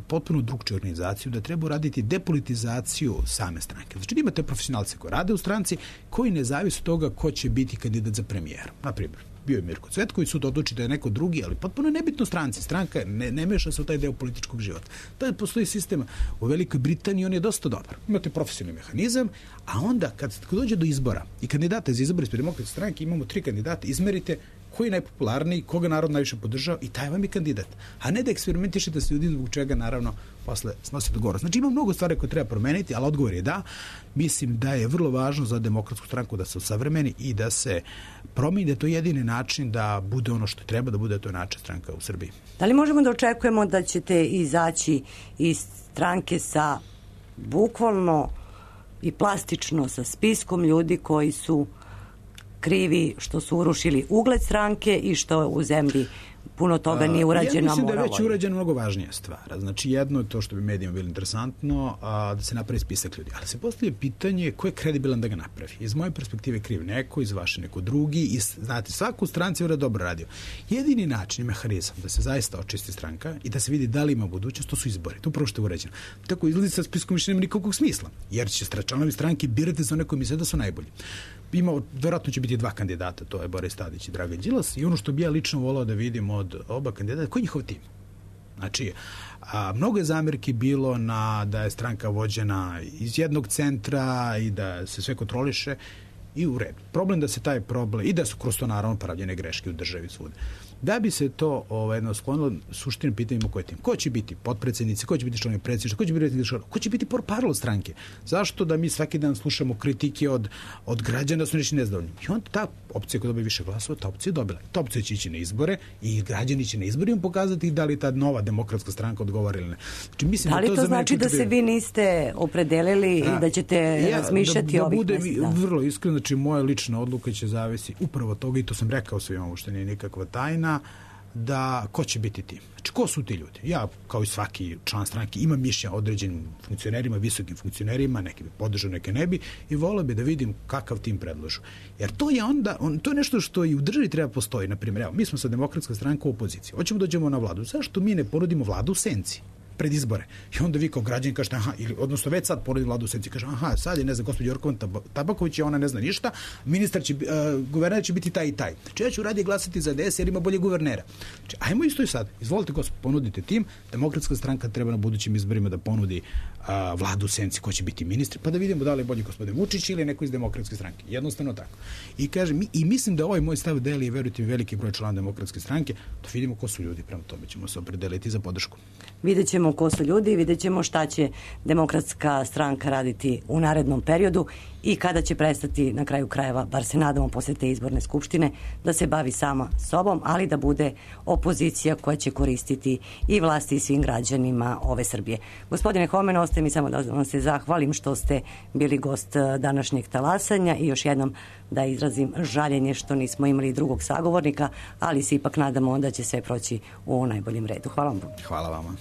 potpuno drugčiju organizaciju, da treba raditi depolitizaciju same stranke. Znači, imate profesionalce koji rade u stranci, koji ne zavise od toga ko će biti kandidat za premijera. Naprimjer, bio je Mirko Cvetković, sud odluči da je neko drugi, ali potpuno nebitno stranci. Stranka ne meša se u taj deo političkog života. To je postoji sistem u Velikoj Britaniji, on je dosta dobar. Imate profesionalni mehanizam, a onda kad dođe do izbora i kandidata za izbor ispred demokratske stranke, imamo 3 kandidata, izmerite koji je najpopularniji, koga narod najviše podržava i taj vam je kandidat. A ne da eksperimentišete s ljudima zbog čega naravno posle snosite odgovornost. Znači, ima mnogo stvari koje treba promeniti, ali odgovor je da. Mislim da je vrlo važno za demokratsku stranku da se usavremeni i da se promeni, da je to jedini način da bude ono što treba da bude, to je način stranka u Srbiji. Da li možemo da očekujemo da ćete izaći iz stranke sa bukvalno i plastično sa spiskom ljudi koji su krivi što su urušili ugled stranke i što u zemlji puno toga nije urađeno? Ja mislim da je već urađeno mnogo važnija stvar. Znači, jedno je to što bi medijima bilo interesantno, da se napravi spisak ljudi. Ali se postavlja pitanje ko je kredibilan da ga napravi. Iz moje perspektive kriv neko, iz vaše neko drugi. I, znate, svaku stranci je dobro radio. Jedini način i mehanizam da se zaista očisti stranka i da se vidi da li ima budućnost, to su izbori. To upravo što je urađeno. Tako izlazi sa spiskom više nema nikakvog smisla. Jer će članovi stranke birati za one koji misle da su najbolji. Vjerojatno će biti 2 kandidata, to je Boris Tadić i Dragan Đilas, i ono što bi ja lično volao da vidim od oba kandidata, koji je njihov tim? Znači, mnogo je zamerki bilo da je stranka vođena iz jednog centra i da se sve kontroliše i u redu. Problem da se taj problem, i da su kroz to naravno pravljene greške u državi svude. Da bi se to jedno sklonilo, suštine pitanjima koji je tim. Ko će biti potpredsjednici, ko će biti članovi predsjedništva, ko će biti portparol stranke? Zašto da mi svaki dan slušamo kritike od građana da su nešto nezadovoljni? I onda ta opcija koja dobije više glasova, ta opcija je dobila. Ta opcija će ići na izbore i građani će na izborima pokazati da li ta nova demokratska stranka odgovara ili ne. Znači, mislim da li to znači da se vi niste opredelili i da ćete razmišljati o ovih mjesec dana? Vrlo iskreno, znači moja lična odluka će zavisi upravo od toga, i to sam rekao svima, ovo što nije nikakva tajna, da ko će biti tim. Znači, ko su ti ljudi? Ja, kao i svaki član stranke, imam mišljenja određenim funkcionerima, visokim funkcionerima, neki bi podržao, neke ne bi, i volio bi da vidim kakav tim predložu. Jer to je onda, to je nešto što i u državi treba postoji. Naprimjer, evo, mi smo sa demokratska stranka u opoziciji. Hoćemo da dođemo na vladu. Zašto mi ne ponudimo vladu u senci pred izbore? I onda vi kao građani kažete, odnosno već sad ponudi vladu u senci, kaže, sad je, ne znam, gospođa Jorkovan Tabaković, ona ne zna ništa, guverner će biti taj i taj. Znači, ja ću radije glasati za DS jer ima bolje guvernera. Znači, ajmo isto i sad. Izvolite, gospod, ponudite tim. Demokratska stranka treba na budućim izborima da ponudi vladu u senci ko će biti ministri, pa da vidimo da li je bolji gospodin Vučić ili neko iz demokratske stranke. Jednostavno tako. I kažem, i mislim da ovaj moj stav deli, verujte mi, veliki broj člana demokratske stranke, da vidimo ko su ljudi, prema tome ćemo se opredeliti za podršku. Vidjet ćemo ćemo ko su ljudi i vidjet ćemo šta će Demokratska stranka raditi u narednom periodu i kada će prestati, na kraju krajeva, bar se nadamo posle te izborne skupštine, da se bavi sama sobom, ali da bude opozicija koja će koristiti i vlasti i svim građanima ove Srbije. Gospodine Homen, ostaje mi samo da vam se zahvalim što ste bili gost današnjeg talasanja i još jednom da izrazim žaljenje što nismo imali drugog sagovornika, ali se ipak nadamo da će sve proći u najboljem redu. Hvala vam. Hvala vama.